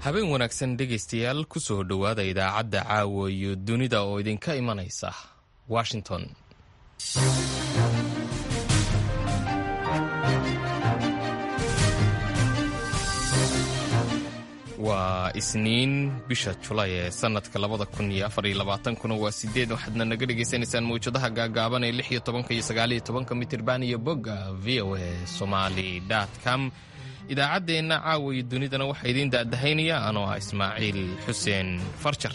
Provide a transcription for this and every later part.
Habeen wanaagsan dhegaystayaal, kusoo dhowaada idaacadda Caawa iyo Dunida oo idinka imanaysa Washington. Waa Isniin, bisha Julay ee sanadka 2024-kuna waa 8. Waxaadna naga dhegaysanaysaan mawjadaha gaagaaban ee 16-ka iyo 19-ka mitirban iyo bogga voasomali.com. Idaacaddeenna Caawa iyo Dunidana waxaa idiin daadahaynaya anoo ah Ismaaciil Xuseen Farjar.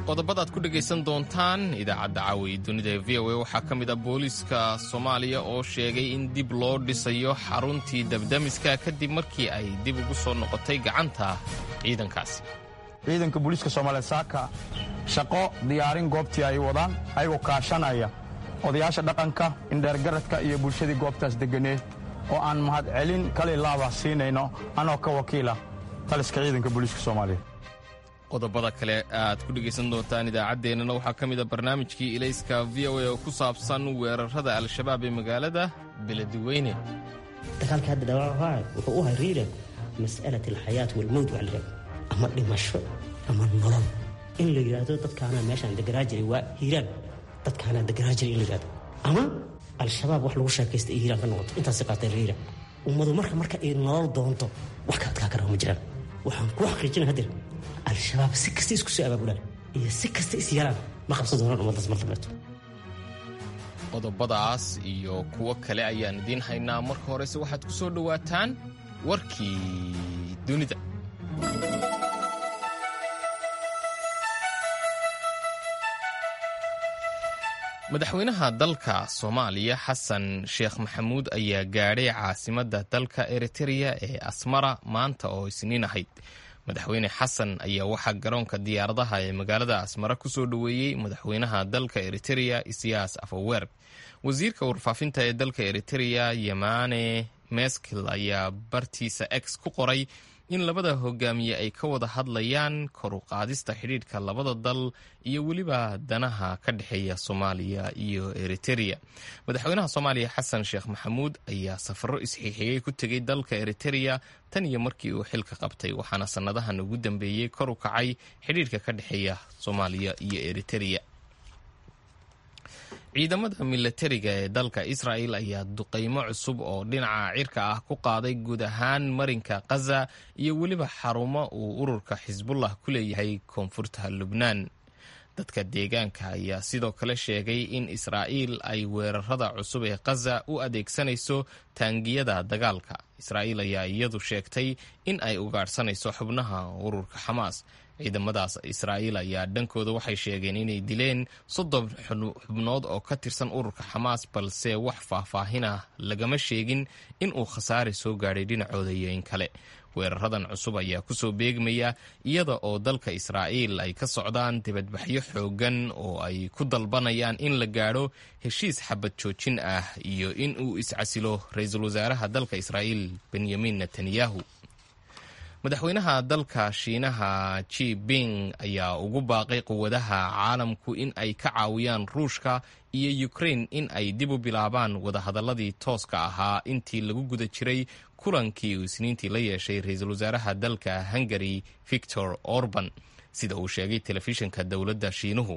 Qodobadaad ku dhegaysan doontaan idaacadda Caawa iyo Dunida ee VOA waxaa ka mid ah booliiska Soomaaliya oo sheegay in dib loo dhisayo xaruntii dabdamiska kadib markii ay dib ugu soo noqotay gacanta ciidankaasi. Ciidanka booliiska Soomaaliyeed saaka shaqo diyaarin goobtii ay wadaan, ayagoo kaashanaya odayaasha dhaqanka, indheergaradka iyo bulshadii goobtaas degganeed, oo aan mahadcelin kali laaba siinayno anoo ka wakiila taliska ciidanka booliiska Soomaaliyeed. Qodobada kale aad ku dhegaysan doontaan idaacaddeenana waxaa ka mid a barnaamijkii Ilayska VOA oo ku saabsan weerarada Al-Shabaab ee magaalada Beledweyne. Dagaalka hadda dhawaaca wuxuu u hariira mas'alat alxayaat walmowt, waxa la yidhahdo ama dhimasho ama nolol. In la yidhaahdo dadkaanaa meeshaan deganaa jiray, waa Hiiraan, dadkaanaa deganaa jiray in la yidhahdo, ama Al-Shabaab wax lagu sheekaysta ay Hiiraan ka noqoto, intaasi qaatay Hiiraan. Ummadu marka ay nolol doonto, wax ka adkaa karaa ma jiraan. Waxaan kuu xaqiijina hadeer, Al-Shabaab si kasta isku soo abaabulaan iyo si kasta is yaraan, ma qabsan doonaan ummaddaas mar dambeeto. Qodobadaas iyo kuwo kale ayaan idiin haynaa. Marka horese waxaad ku soo dhowaataan warkii dunida. Madaxweynaha dalka Soomaaliya Xasan Sheekh Maxamuud ayaa gaadhay caasimadda dalka Eritereya ee Asmara maanta oo Isniin ahayd. Madaxweyne Xasan ayaa waxaa garoonka diyaaradaha ee magaalada Asmara kusoo dhoweeyey madaxweynaha dalka Eritereya Isiyaas Afawerg. Wasiirka warfaafinta ee dalka Eritereya Yamane Meskil ayaa bartiisa X ku qoray in labada hogaamiye ay ka wada hadlayaan kor u qaadista xidhiidhka labada dal iyo weliba danaha ka dhexeeya Soomaaliya iyo Eritereya. Madaxweynaha Soomaaliya Xasan Sheekh Maxamuud ayaa safaro isxiixiyey ku tegey dalka Eritereya tan iyo markii uu xilka qabtay, waxaana sannadahan ugu dambeeyey kor u kacay xidhiidhka ka dhexeeya Soomaaliya iyo Eritereya. Ciidamada milatariga ee dalka Israel ayaa duqeymo cusub oo dhinaca cirka ah ku qaaday guud ahaan marinka Khaza iyo weliba xarumo uu ururka Xisbullah ku leeyahay koonfurta Lubnaan. Dadka deegaanka ayaa sidoo kale sheegay in Israa'iil ay weerarada cusub ee Khaza u adeegsanayso taangiyada dagaalka. Israa'iil ayaa iyadu sheegtay in ay ugaadhsanayso xubnaha ururka Xamaas. Ciidamadaas Israa'iil ayaa dhankooda waxay sheegeen inay dileen 30 xubnood oo ka tirsan ururka Xamaas, balse wax faahfaahinah lagama sheegin in uu khasaare soo gaadhay dhinacooda iyo in kale. Weeraradan cusub ayaa kusoo beegmaya iyada oo dalka Israa'iil ay ka socdaan dibadbaxyo xooggan oo ay ku dalbanayaan in la gaadho heshiis xabad joojin ah iyo in uu iscasilo ra-iisul wasaaraha dalka Israa'iil Benyamin Netanyahu. Madaxweynaha dalka Shiinaha Ji Ping ayaa ugu baaqay quwadaha caalamku in ay ka caawiyaan Ruushka iyo Ukraine in ay dib u bilaabaan wadahadaladii tooska ahaa intii lagu guda jiray kulankii uu Isniintii la yeeshay ra-iisul wasaaraha dalka Hungary Victor Orban, sida uu sheegay telefishinka dowladda Shiinuhu.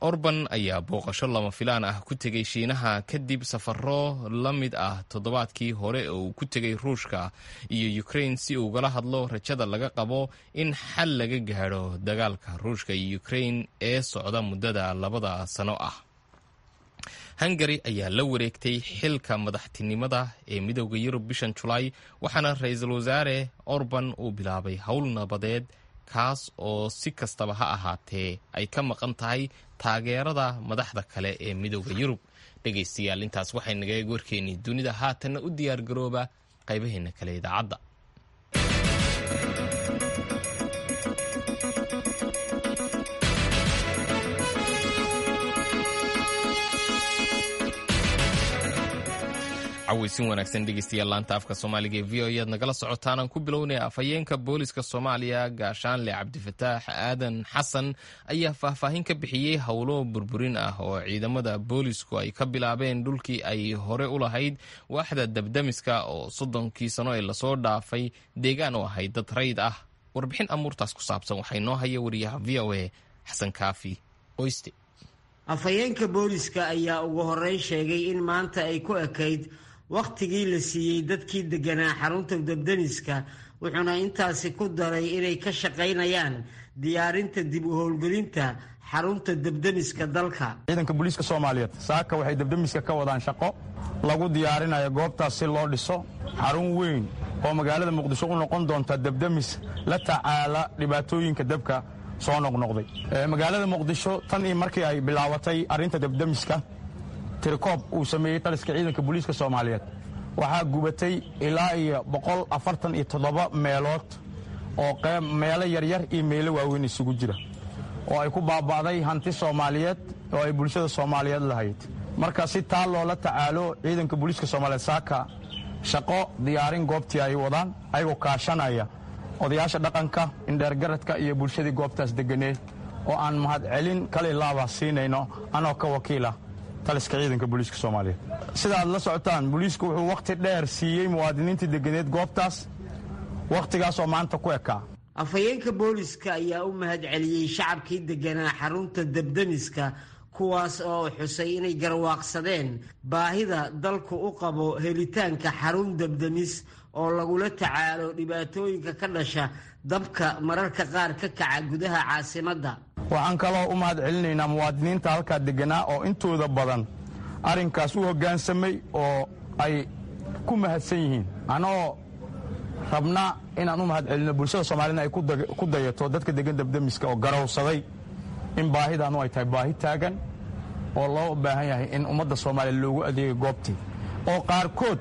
Orban ayaa booqasho lama filaan ah ku tegey Shiinaha kadib safaro la mid ah toddobaadkii hore oo uu ku tegey Ruushka iyo Ukraine si ugala hadlo rajada laga qabo in xal laga gaadho dagaalka Ruushka iyo Ukraine ee socda muddada 2 sano ah. Hungary ayaa la wareegtay xilka madaxtinimada ee Midooda Yurub bishan Julaay, waxaana ra-iisul wasaare Orban uu bilaabay howl nabadeed kaas oo si kastaba ha ahaatee ay ka maqan tahay taageerada madaxda kale ee Midooda Yurub. Dhegaystayaal, intaas waxay naga eeg warkeennii dunida. Haatanna u diyaar garooba qaybaheenna kale idaacadda. Cawaysin wanaagsan dhegeystayaal, laanta afka Soomaaliga ee V O ayaad nagala socotaan. Aan ku bilownaya, afhayeenka booliska Soomaaliya Gaashaanle Cabdifataax Aadan Xasan ayaa faahfaahin ka bixiyey howlo burburin ah oo ciidamada boolisku ay ka bilaabeen dhulkii ay hore u lahayd waaxda dabdamiska oo 30kii sano ee lasoo dhaafay deegaan u ahayd dad rayid ah. Warbixin amuurtaas ku saabsan waxay noo haya wariyaha VOA Xasan Kaafi Qoyste. Afhayeenka booliska ayaa ugu horreyn sheegay in maanta ay ku ekayd wakhtigii la siiyey dadkii degganaa xarunta dabdamiska, wuxuuna intaasi ku daray inay ka shaqaynayaan diyaarinta dib u howlgelinta xarunta dabdamiska dalka. Ciidanka booliiska Soomaaliyeed saaka waxay dabdamiska ka wadaan shaqo lagu diyaarinayo goobtaas si loo dhiso xarun weyn oo magaalada Muqdisho u noqon doonta dabdamis la tacaala dhibaatooyinka dabka soo noqnoqday magaalada Muqdisho. Tan iyo markii ay bilaabatay arrinta dabdamiska, tirikoob uu sameeyey taliska ciidanka booliiska Soomaaliyeed, waxaa gubatay ilaa iyo 147 meelood oo meelo yaryar iyo meelo waaweyn isugu jira, oo ay ku baaba'day hanti Soomaaliyeed oo ay bulshada Soomaaliyeed lahayd. Marka si taa loola tacaalo, ciidanka booliiska Soomaaliyeed saaka shaqo diyaarin goobtii ay wadaan, ayagoo kaashanaya odayaasha dhaqanka, indheergaradka iyo bulshadii goobtaas deganeed, oo aan mahadcelin kale laaba siinayno anoo ka wakiila taliska ciidanka booliiska Soomaaliyeed. Sida aad la socotaan, booliisku wuxuu wakhti dheer siiyey muwaadiniintii deganeed goobtaas, wakhtigaasoo maanta ku ekaa. Afhayeenka booliska ayaa u mahadceliyey shacabkii deganaa xarunta dabdamiska, kuwaas oo xusay inay garwaaqsadeen baahida dalku u qabo helitaanka xarun dabdamis oo lagula tacaalo dhibaatooyinka ka dhasha dabka mararka qaar ka kaca gudaha caasimadda. Waxaan kaloo u mahad celinaynaa muwaadiniinta halkaa deganaa oo intooda badan arrinkaas u hoggaansamay oo ay ku mahadsan yihiin. Anoo rabna inaan u mahad celinno bulshada Soomaalina ay ku dayato dadka degan dabdamiska oo garowsaday in baahidaanu ay tahay baahi taagan oo loo baahan yahay in ummadda Soomaaliya loogu adeegay goobtii, oo qaarkood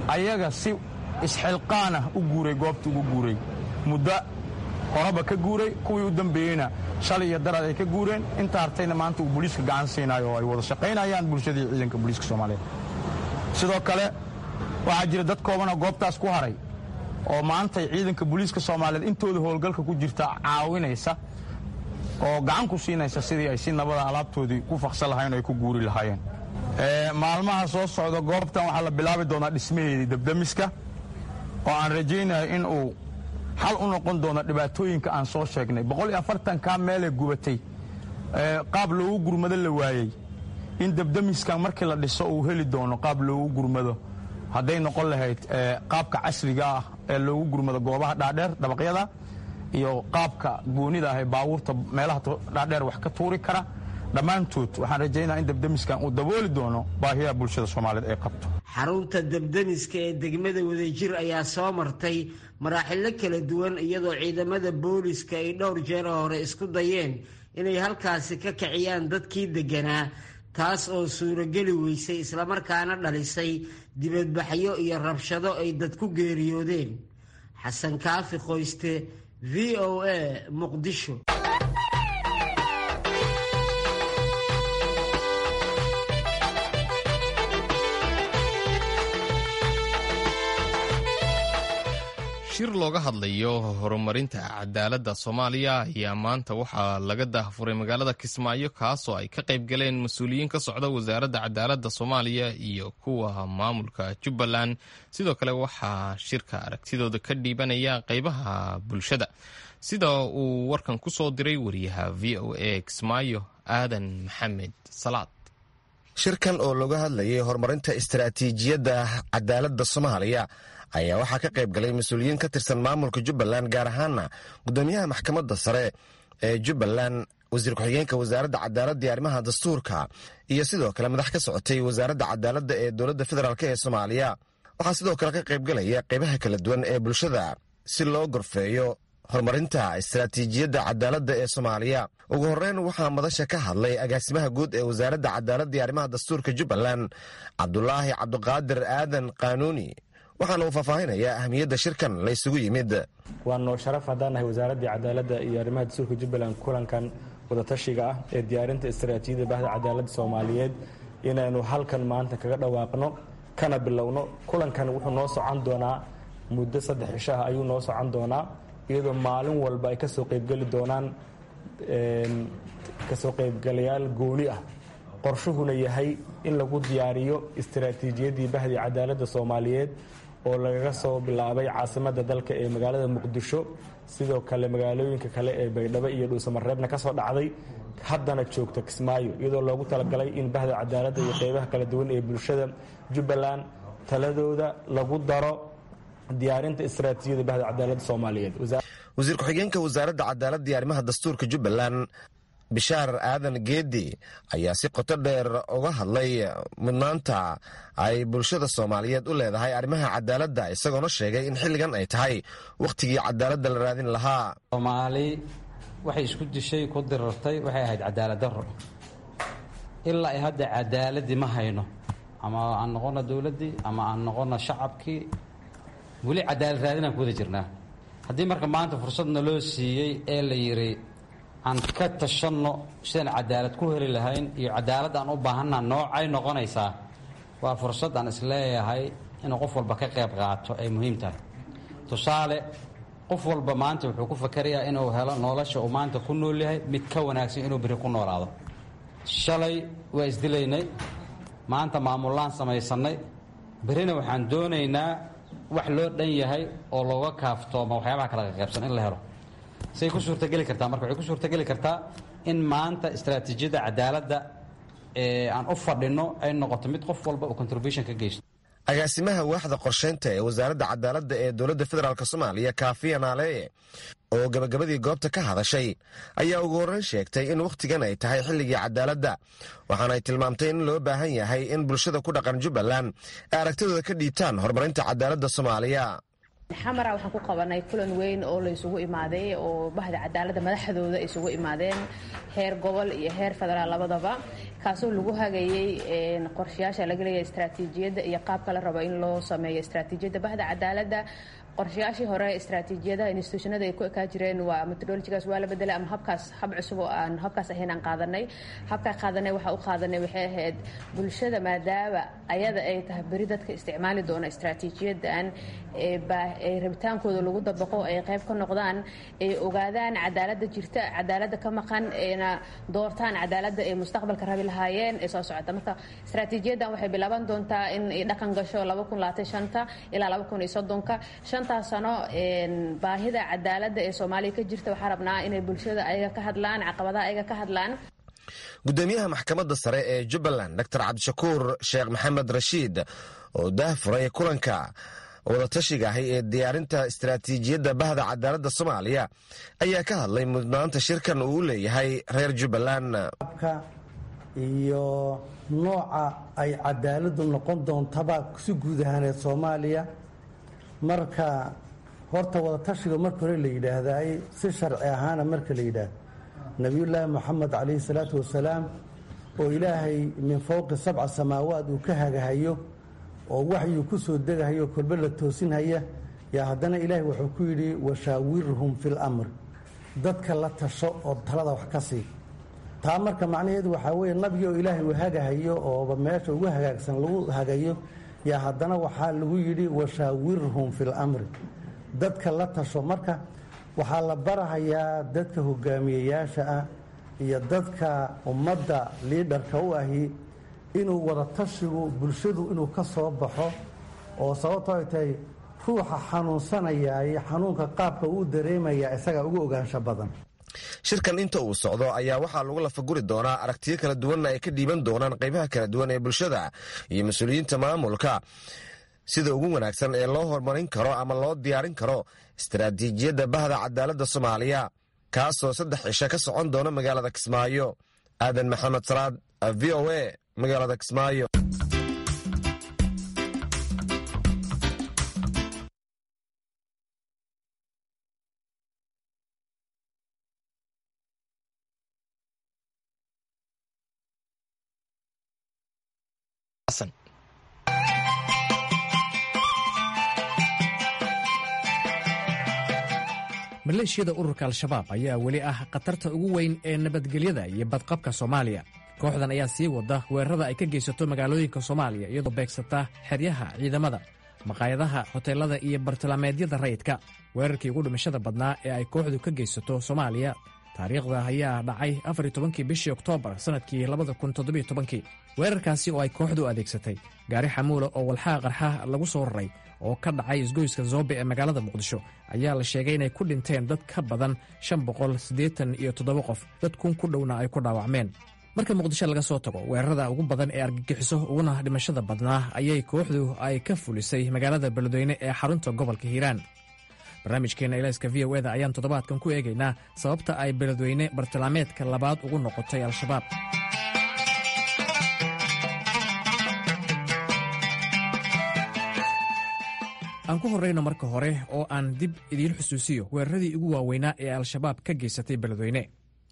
ayaga si isxilqaanah u guuray, goobtii ugu guuray, muddo horeba ka guuray, kuwii u dambeeyeyna shalay iyo daraad ay ka guureen, inta hartayna maanta uu booliiska gacan siinayo oo ay wada shaqaynayaan bulshadii ciidanka booliiska Soomaaliyeed. Sidoo kale waxaa jira dad koobanoo goobtaas ku haray oo maantay ciidanka booliiska Soomaaliyeed intooda howlgalka ku jirta caawinaysa oo gacan ku siinaysa sidii ay si nabada alaabtoodii ku faksan lahayen oo ay ku guuri lahaayeen. Maalmaha soo socda goobtan waxaa la bilaabi doonaa dhismaheedii dabdamiska, oo aan rajaynayo in uu xal u noqon doono dhibaatooyinka aan soo sheegnay, 140-kaa meelee gubatay, qaab loogu gurmado la waayey, in dabdamiskan markii la dhiso uu heli doono qaab loogu gurmado, hadday noqon lahayd qaabka casriga ah ee loogu gurmado goobaha dhaadheer dabaqyada iyo qaabka goonida ah ee baabuurta meelaha dhaadheer wax ka tuuri kara. Dhammaantood waxaan rajaynaya in dabdamiskan uu dabooli doono baahiyaha bulshada Soomaaliyeed ay qabto. Xarunta dabdamiska ee degmada Wadajir ayaa soo martay maraaxilo kala duwan, iyadoo ciidamada booliska ay dhowr jeer hore isku dayeen inay halkaasi ka kiciyaan dadkii degganaa, taas oo suurogeli weysay islamarkaana dhalisay dibadbaxyo iyo rabshado ay dad ku geeriyoodeen. Xasan Kaafi Qoyste, VOA, Muqdisho. Shir looga hadlayo horumarinta cadaaladda Soomaaliya ayaa maanta waxaa laga daahfuray magaalada Kismaayo, kaasoo ay ka qayb galeen mas-uuliyiin ka socda wasaaradda cadaaladda Soomaaliya iyo kuwa maamulka Jubbaland. Sidoo kale waxaa shirka aragtidooda ka dhiibanaya qeybaha bulshada, sida uu warkan ku soo diray wariyaha VOA Kismaayo Aadan Maxamed Salaad. Shirkan oo looga hadlayay horumarinta istaraatiijiyadda cadaaladda Soomaaliya ayaa waxaa ka qayb galay mas-uuliyiin ka tirsan maamulka Jubbaland, gaar ahaana gudoomiyaha maxkamadda sare ee Jubbaland, wasiir ku-xigeenka wasaaradda cadaaladda iyo arrimaha dastuurka, iyo sidoo kale madax ka socotay wasaaradda cadaaladda ee dowladda federaalk ee Soomaaliya. Waxaa sidoo kale ka qayb galaya qaybaha kala duwan ee bulshada si loo gorfeeyo horumarinta istaraatiijiyadda cadaaladda ee Soomaaliya. Ugu horreyn waxaa madasha ka hadlay agaasimaha guud ee wasaaradda cadaaladda iyo arrimaha dastuurka Jubbaland, Cabdulaahi Cabdiqaadir Aadan Qaanuuni, waxaana uu faahfaahinayaa ahmiyadda shirkan la ysugu yimid. Waa noo sharaf haddaan nahay wasaaraddii cadaaladda iyo arrimaha dastuurka Jubbaland kulankan wadatashiga ah ee diyaarinta istaraatiijiyadda bahda cadaaladda Soomaaliyeed inaynu halkan maanta kaga dhawaaqno. kana bilowno. Kulankan wuxuu noo socon doonaa muddo 3 cisho ah ayuu noo socon doonaa, iyadoo maalin walba ay kasoo qaybgeli doonaan kasoo qaybgalayaal gooni ah. Qorshuhuna yahay in lagu diyaariyo istaraatiijiyaddii bahdii cadaaladda Soomaaliyeed oo lagaga soo bilaabay caasimadda dalka ee magaalada Muqdisho, sidoo kale magaalooyinka kale ee Baydhabo iyo Dhuusamareebna ka soo dhacday, haddana joogta Kismaayo, iyadoo loogu talagalay in bahda cadaaladda iyo qeybaha kala duwan ee bulshada Jubbaland taladooda lagu daro diyaarinta istaraatiijiyada bahda cadaaladda Soomaaliyeed. Wasiir ku-xigeenka wasaaradda cadaaladda iyo arrimaha dastuurka Jubbaland, Bishaar Aadan Geedi, ayaa si qoto dheer uga hadlay mudnaanta ay bulshada Soomaaliyeed u leedahay arrimaha cadaaladda, isagoona sheegay in xilligan ay tahay wakhtigii cadaaladda la raadin lahaa. Soomaali waxay isku dishay, ku dirartay, waxay ahayd cadaalad darro. Ilaa ay hadda cadaaladdii ma hayno, ama aan noqono dowladdii ama aan noqono shacabkii, weli cadaalad raadinaan ku wada jirnaa. Haddii marka maanta fursad naloo siiyey ee la yidhi aan ka tashanno sidaan cadaalad ku heli lahayn iyo cadaalad aan u baahanna noocay noqonaysaa, waa fursad aan isleeyahay inuu qof walba ka qayb qaato ay muhiim tahay. Tusaale, qof walba maanta wuxuu ku fakerayaa inuu helo nolosha uu maanta ku nool yahay mid ka wanaagsan inuu beri ku noolaado. Shalay waa isdilaynay, maanta maamullaan samaysannay, berrina waxaan doonaynaa wax loo dhan yahay oo looga kaaftooma waxyaabaha kala qaqaybsan in la helo. Say ku suurtageli kartaa marka? Waxay ku suurtageli kartaa in maanta istaraatiijiyadda cadaaladda ee aan u fadhinno ay noqoto mid qof walba uu contribution ka geysto. Agaasimaha waaxda qorsheynta ee wasaaradda cadaaladda ee dowladda federaalk Soomaaliya, Kaafiya Naaleeye, oo gabagabadii goobta ka hadashay, ayaa ugu horreyn sheegtay in wakhtigan ay tahay xilligii cadaaladda, waxaana ay tilmaamtay in loo baahan yahay in bulshada ku dhaqan Jubbaland ay aragtidooda ka dhiibtaan horumarinta cadaaladda Soomaaliya. Xamara waxaan ku qabanay kulan weyn oo la isugu imaaday oo bahda cadaaladda madaxdooda isugu imaadeen, heer gobol iyo heer federaal labadaba, kaasoo lagu hagayey qorshayaasha laga leeyahay istaraatiijiyadda iyo qaabka la rabo in loo sameeyo istaraatiijiyadda bahda cadaaladda. Qorshayaashii hore istaraatiijiyadaha institutionada ay ku ekaa jireen waa methodologygaas waa la bedelay, ama habkaas hab cusub oo aan habkaas ahayn aan qaadanay. Habkaa qaadanay waxaa u qaadanay waxay ahayd bulshada, maadaama ayada ay tahay beri dadka isticmaali doona istaraatiijiyadan ee rabitaankooda lagu dabaqo, ay qayb ka noqdaan, ay ogaadaan cadaaladda jirta, cadaaladda ka maqan, ayna doortaan cadaaladda ay mustaqbalka rabi lahaayeen ee soo socota. Marka istaraatiijiyadan waxay bilaaban doontaa in ay dhaqan gasho 2025 ilaa 2030-ka, shanta sano. Baahida cadaaladda ee Soomaaliya ka jirta waxaa rabnaa inay bulshada ayaga ka hadlaan, caqabadaha ayaga ka hadlaan. Gudoomiyaha maxkamadda sare ee Jubbaland, Dr Cabdishakuur Sheekh Maxamed Rashiid, oo daahfuray kulanka wadatashiga ahi ee diyaarinta istaraatiijiyadda bahda cadaaladda Soomaaliya, ayaa ka hadlay mudnaanta shirkan uu u leeyahay reer Jubbaland. Iyo nooca ay cadaaladdu noqon doontaba si guud ahaaneed Soomaaliya. Marka horta wadatashiga marka hore la yidhaahdaay, si sharci ahaana marka la yidhaahdo, Nabiyullaahi Moxamed calayhi salaatu wasalaam oo Ilaahay min fowqi sabca samaawaad uu ka hagahayo oo waxyuu ku soo degahayo, kolbe la toosinhaya, yaa haddana Ilaahay wuxuu ku yidhi: "Washaawirhum fil amr", dadka la tasho oo talada wax ka sii. Taa marka macnaheedu waxaa weeye, nabigi oo Ilaahay uu hagahayo ooba meesha ugu hagaagsan lagu hagayo, yaa haddana waxaa lagu yidhi: "Washaawirhum fil amri", dadka la tasho. Marka waxaa la barahayaa dadka hogaamiyeyaasha ah iyo dadka ummadda liidharka u ahi inuu wadatashigu bulshadu inuu ka soo baxo, oo sababto ay tahay ruuxa xanuunsanayaay xanuunka qaabka uu dareemayaa isagaa ugu ogaansho badan. Shirkan inta uu socdo ayaa waxaa lagu lafaguri doonaa aragtiyo kala duwanna ay ka dhiiban doonaan qaybaha kala duwan ee bulshada iyo mas-uuliyiinta maamulka sida ugu wanaagsan ee loo horumarin karo ama loo diyaarin karo istaraatiijiyadda bahda cadaaladda Soomaaliya, kaasoo 3 cisho ka socon doona magaalada Kismaayo. Aadan Maxamed Salaad, VOA, magaalada Kismaayo. Maleeshiyada ururka Al-Shabaab ayaa weli ah khatarta ugu weyn ee nabadgelyada iyo badqabka Soomaaliya. Kooxdan ayaa sii wada weerarada ay ka geysato magaalooyinka Soomaaliya, iyadoo beegsata xeryaha ciidamada, maqaayadaha, hoteelada iyo bartilmaameedyada rayidka. Weerarkii ugu dhimashada badnaa ee ay kooxdu ka geysato Soomaaliya taariikhda ayaa dhacay 14-kii bishii Oktoobar sannadkii 2017-kii. Weerarkaasi oo ay kooxdu adeegsatay gaari xamuula oo walxaha qarxa lagu soo raray oo ka dhacay isgoyska Zoobe ee magaalada Muqdisho ayaa la sheegay inay ku dhinteen dad ka badan 587 qof, dad 1000 ku dhowna ay ku dhaawacmeen. Marka Muqdisho laga soo tago, weerarada ugu badan ee argagixiso uguna dhimashada badnaa ayay kooxdu ay ka fulisay magaalada Beledweyne ee xarunta gobolka Hiiraan. Barnaamijkeena Ilayska VOA-da ayaan toddobaadkan ku eegaynaa sababta ay Beledweyne bartilmaameedka labaad ugu noqotay Al-Shabaab. Aan ku horrayno marka hore oo aan dib idiin xusuusiyo weeraradii ugu waaweynaa ee Al-Shabaab ka geysatay Beledweyne.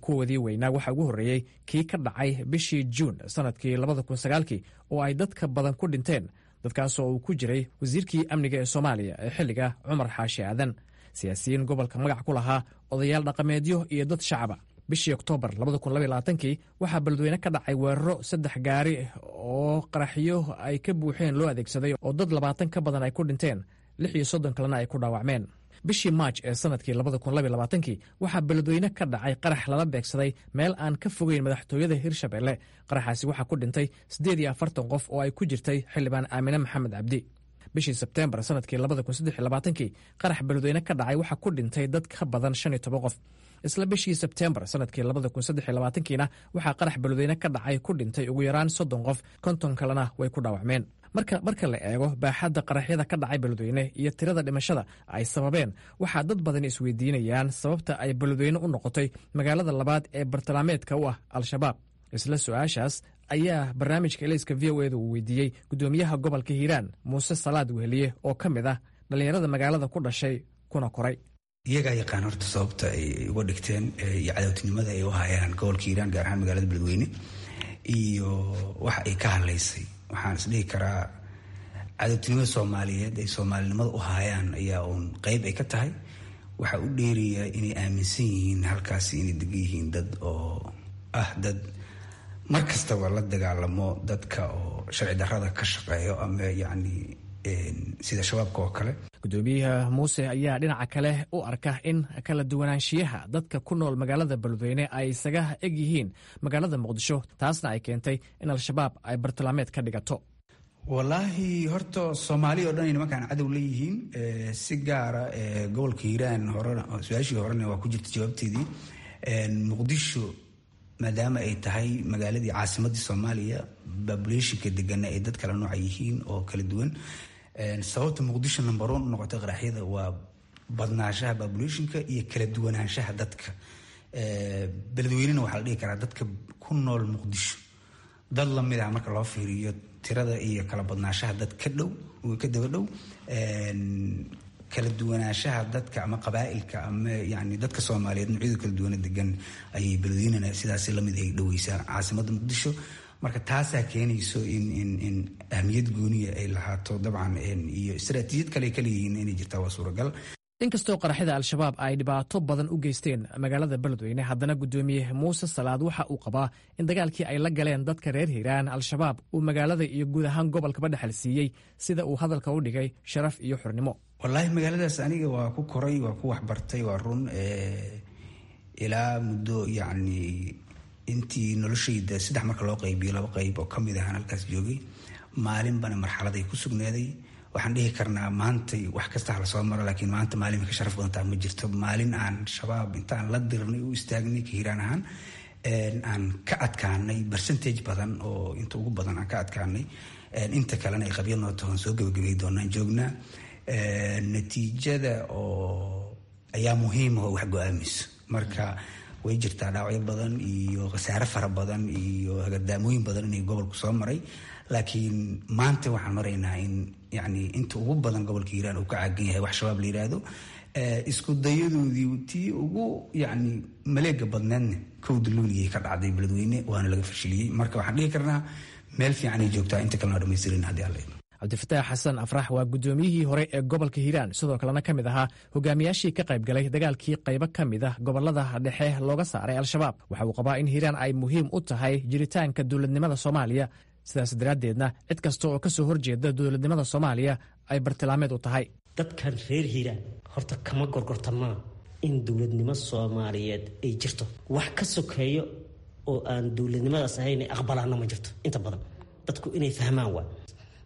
Kuwoodii weynaa waxaa ugu horreeyey kii ka dhacay bishii Juun sannadkii 2009-kii oo ay dadka badan ku dhinteen, dadkaasoo uu ku jiray wasiirkii amniga ee Soomaaliya ee xilliga, Cumar Xaashi Aadan, siyaasiyiin gobolka magac ku lahaa, odayaal dhaqameedyo iyo dad shacaba. Bishii Oktoobar kii waxaa Beledweyne ka dhacay weeraro saddex gaari oo qaraxyo ay ka buuxeen loo adeegsaday oo dad 20 ka badan ay ku dhinteen, 36 kalena ay ku dhaawacmeen. Bishii Maaj ee sannadkii kii waxaa Beledweyne ka dhacay qarax lala beegsaday meel aan ka fogeyn madaxtooyada Hirshabelle. Qaraxaasi waxaa ku dhintay 48 qof oo ay ku jirtay xildhibaan Aamine Maxamed Cabdi. Bishii Sebteembar sannadkii kii qarax Beledweyne ka dhacay waxaa ku dhintay dad ka badan 15 qof. Isla bishii Sebteembar sannadkii kiina waxaa qarax Beledweyne ka dhacay ku dhintay ugu yaraan 30 qof, 50 kalena way ku dhaawacmeen. Marka la eego baaxadda qaraxyada ka dhacay Beledweyne iyo tirada dhimashada ay sababeen, waxaa dad badan isweydiinayaan sababta ay Beledweyne u noqotay magaalada labaad ee bartilmaameedka u ah Al-Shabaab. Isla su-aashaas ayaa barnaamijka Ilayska VOA-da uu weydiiyey guddoomiyaha gobolka Hiiraan, Muuse Salaad Weheliye, oo ka mid ah dhallinyarada magaalada ku dhashay kuna koray. Iyagaa yaqaan horta sababta ay uga dhigteen iyo cadowtinimada ay u hayaan gobolka Hiiraan, gaar ahaan magaalada Beledweyne, iyo waxa ay ka hadlaysay. Waxaan isdhihi karaa cadowtinimada soomaaliyeed ay soomaalinimada u haayaan ayaa uun qeyb ay ka tahay. Waxaa u dheeraya inay aaminsan yihiin halkaasi inay degan yihiin dad oo ah dad mar kastaba la dagaalamo dadka oo sharci darrada ka shaqeeyo ama yacni sida Shabaabka oo kale. Gudoomiyaha Muuse ayaa dhinaca kale u arka in kala duwanaanshiyaha dadka ku nool magaalada Beledweyne ay isaga eg yihiin magaalada Muqdisho, taasna ay keentay in Al-Shabaab ay bartilmaameed ka dhigato. Wallaahi horta Soomaali oo dhan ay nimankaan cadow leeyihiin, si gaara gobolka Hiiraan. Horena su-aashii horena waa ku jirta jawaabteedii. Muqdisho maadaama ay tahay magaaladii caasimadii Soomaaliya, populationka degana ay dad kala nooca yihiin oo kala duwan. Sababta Muqdisho number one u noqotay qaraxyada waa badnaanshaha populationka iyo kala duwanaanshaha dadka. Beledweynena waxaa la dhihi karaa dadka ku nool Muqdisho dad lamid ah marka loo fiiriyo tirada iyo kala badnaanshaha dad ka dhow, ka daba dhow, kala duwanaanshaha dadka ama qabaa'ilka ama yani dadka Soomaaliyeed noocyada kala duwana degan ayay Beledweynena sidaasi lamid ay dhoweysaa caasimadda Muqdisho. Marka taasaa keenayso in ahmiyad gooniya ay lahaato dabcan, iyo istaraatiijiyad kale ay kaleeyihiin inay jirtaa waa suuragal. Inkastoo qaraxyada Al-Shabaab ay dhibaato badan u geysteen magaalada Beledweyne, haddana guddoomiye Muuse Salaad waxa uu qabaa in dagaalkii ay la galeen dadka reer Hiiraan Al-Shabaab uu magaalada iyo guud ahaan gobolkaba dhexal siiyey, sida uu hadalka u dhigay, sharaf iyo xornimo. Wallaahi magaaladaas aniga waa ku koray, waa ku waxbartay, waa run. Ilaa muddo yacni intii noloshayda saddex marka loo qaybiyo laba qayb oo kamid ahaan halkaas joogay, maalinbana marxaladay ku sugnaaday. Waxaan dhihi karnaa maantay wax kasta hala soo maro, laakiin maanta maalin ka sharaf badantaa ma jirto. Maalin aan Shabaab intaan la dirnay u istaagnay ka Hiiraan ahaan aan ka adkaanay percentage badan oo inta ugu badan aan ka adkaanay, inta kalena ay qabyo noo tahoon soo gabagabay doonaan joognaa. Natiijada oo ayaa muhiim oo wax go-aamayso. Marka way jirtaa dhaawacyo badan iyo khasaare fara badan iyo hagadaamooyin badan inay gobolku soo maray, laakiin maanta waxaan maraynaa in yani inta ugu badan gobolka Hiiraan uu ka caagan yahay wax Shabaab la yiraahdo. Isku dayadoodii tii ugu yacni maleega badneedna 1-da Luuliyay ka dhacday Beledweyne, waana laga fashiliyey. Marka waxaan dhihi karnaa meel fiican ay joogtaa, inta kalena dhamaystirin haddii Alla. Cabdifataax Xasan Afrax waa guddoomiyihii hore ee gobolka Hiiraan, sidoo kalena ka mid ahaa hogaamiyaashii ka qaybgalay dagaalkii qaybo ka mid ah gobolada dhexe looga saaray Al-Shabaab. Waxa uu qabaa in Hiiraan ay muhiim u tahay jiritaanka dowladnimada Soomaaliya, sidaas daraaddeedna cid kasta oo ka soo horjeeda dowladnimada Soomaaliya ay bartilmaameed u tahay. Dadkan reer Hiiraan horta kama gorgortamaa in dowladnimo Soomaaliyeed ay jirto. Wax ka sokeeyo oo aan dowladnimadaas ahayn aqbalaana ma jirto. Inta badan dadku inay fahmaan waa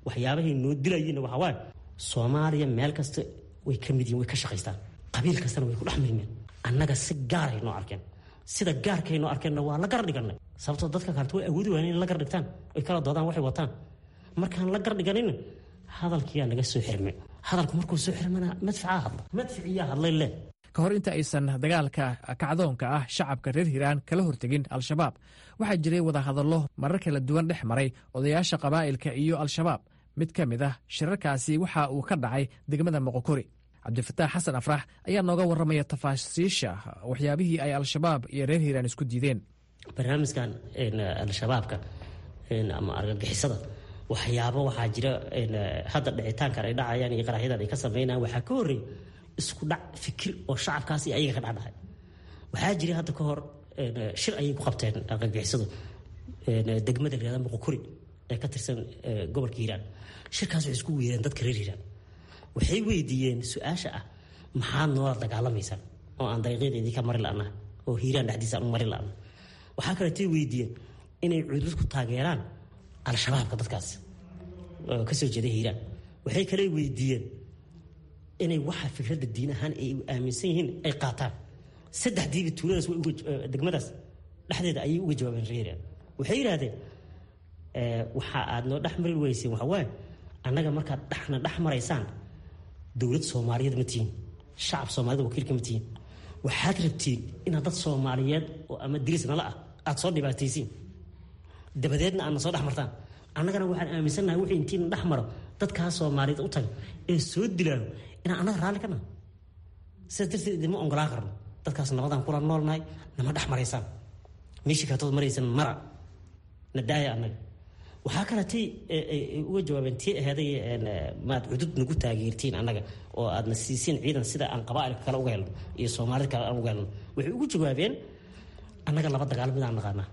waxyaabahay noo dilayiinna waxaa waaye Soomaaliya meel kasta way ka mid yihin, way ka shaqaystaan, qabiil kastana way ku dhex milmeen. Annaga si gaaray noo arkeen, sida gaarkay noo arkeenna waa la gar dhiganay, sababtoo dadka kaleto way awoodi waayeen inay la gar dhigtaan oy kala doodaan waxay wataan. Markaan la gar dhiganina hadalkiyaa naga soo xirmay. Hadalku markuu soo xirmana madficaa hadla, madficiyaa hadlay leh. Ka hor inta aysan dagaalka kacdoonka ah shacabka reer Hiiraan kala hortegin Al-Shabaab, waxaa jiray wadahadallo marar kala duwan dhex maray odayaasha qabaa'ilka iyo Al-Shabaab. Mid ka mid ah shirarkaasi waxa uu ka dhacay degmada Moqokori. Cabdifataax Xasan Afrax ayaa nooga warramaya tafaasiisha waxyaabihii ay Al-Shabaab iyo reer Hiiraan isku diideen. Barnaamijkan Al-Shabaabka ama argagixisada, waxyaabo waxaa jira hadda dhicitaankan ay dhacayaan iyo qaraxyadan ay ka sameynayaan, waxaa ka horreeyay isku dhac fikir oo shacabkaas iyo ayaga ka dhexdhacay. Waxaa jiray hadda ka hor shir ayay ku qabteen argagixisadu degmada la yihahda Muqokuri ee ka tirsan gobolka Hiiraan. Shirkaas waxay isku weereen dadka reer Hiiraan, waxay weydiiyeen su-aasha ah: maxaad noola dagaalamaysaan oo aan dariiqyada idinka mari la'naha oo Hiiraan dhexdiisa aan u mari la'naha? Waxaa kaleetay weydiiyeen inay cudud ku taageeraan Al-Shabaabka dadkaas oo kasoo jeeda Hiiraan. Waxay kale weydiiyeen inay waxa fikradda diin ahaan ay aaminsan yihiin ay qaataan. Saddexdiiba tuuladaas degmadaas dhexdeeda ayay uga jawaabeen reer Hiiraan. Waxay yidhaahdeen: waxa aad noo dhex mari weyseen waxa waaye, annaga markaad dhexna dhex maraysaan dowlad Soomaaliyeed ma tihiin, shacab Soomaaliyed wakiilka ma tihiin. Waxaad rabtiin inaad dad Soomaaliyeed oo ama diris nala ah aad soo dhibaataysiin, dabadeedna aadna soo dhex martaan. Annagana waxaan aaminsannahay wixii intiina dhex maro dadkaa Soomaaliyeed u taga ee soo dilaayo inaan annaga raalli ka nahay. Sidaas darteed idinma ongolaan karno. Dadkaas nabadaan kula noolnahay, nama dhex maraysaan, meeshii kaatood maraysan mara, na daaya annaga. Waxaa kaletay uga jawaabeen tii aheeday: maad cudud nagu taageertiin annaga oo aadna siisiin ciidan sida aan qabaa'ilka kale uga helno iyo Soomaalida kale aan uga helno? Waxay ugu jawaabeen: annaga laba dagaal midaan naqaanaa,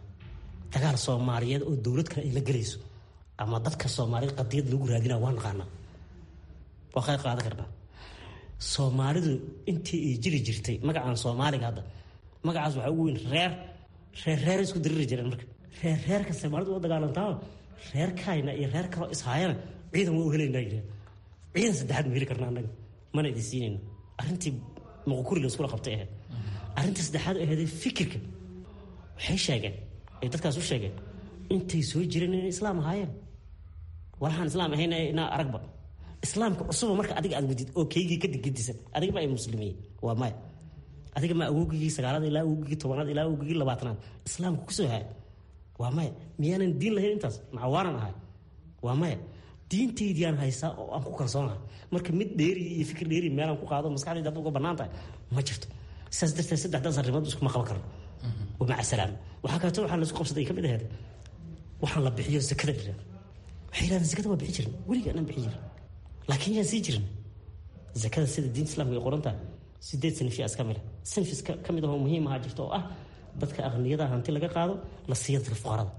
dagaal Soomaaliyeed oo dowlad kale ay la gelayso ama dadka Soomaaliyeed qadiyad lagu raadinaa waa naqaanaa, waa qayb qaadan karnaa. Soomaalidu intii ay jiri jirtay magacaan Soomaaliga hadda magacaas waxaa ugu weyn reer reer reer isku diriri jireen. Marka reer reerka Soomaalidu waa dagaalantaa, reerkayna iyo reer kaloo ishaayana ciidan waa u helaynaa yireen. Ciidan saddexaad ma heli karna annaga, mana idin siinayno. Arrintii Muqokuri la iskula qabtay ahayd. Arrintii saddexaad ahayd fikirka, waxay sheegeen ay dadkaas u sheegeen intay soo jireen inay islaam ahaayeen, walaxaan islaam ahayn inaa aragba. Islaamka cusuba marka adiga aad wadid oo keygii ka digadisan, adiga ma ay muslimiin waa maya. Adiga ma awogigii 9aad ilaa awogigii 10aad ilaa awogigii 20aad islaamka kusoo haay waa maya. Miyaanan diin lahayn intaas macawaanan ahay? Waa maya. Diintaydiyaan haysaa oo aan ku kalsoonahay. Marka mid dheeri iyo fikir dheeri meelaan ku qaado maskaxdayda hadda uga bannaan tahay ma jirto. Sidaas darteed saddexdaas arrimood iskuma qaban karno, wamaca salaam. Waxaa kaleeto waxaa laisku qabsaday ka mid ahayd waxaan la bixiyo zakada la yihahdo. Waxay yidhahdeen: zakada waa bixi jirin, weliga anaan bixi jirin, laakiin yaan sii jirin zakada. Sida diinta Islaamka ay qoran tahay, 8 sinfi iska mid ah, sinfi ka mid ahoo muhiim ahaa jirta oo ah dadka aqniyada hanti laga qaado la siiya dadka fuqarada.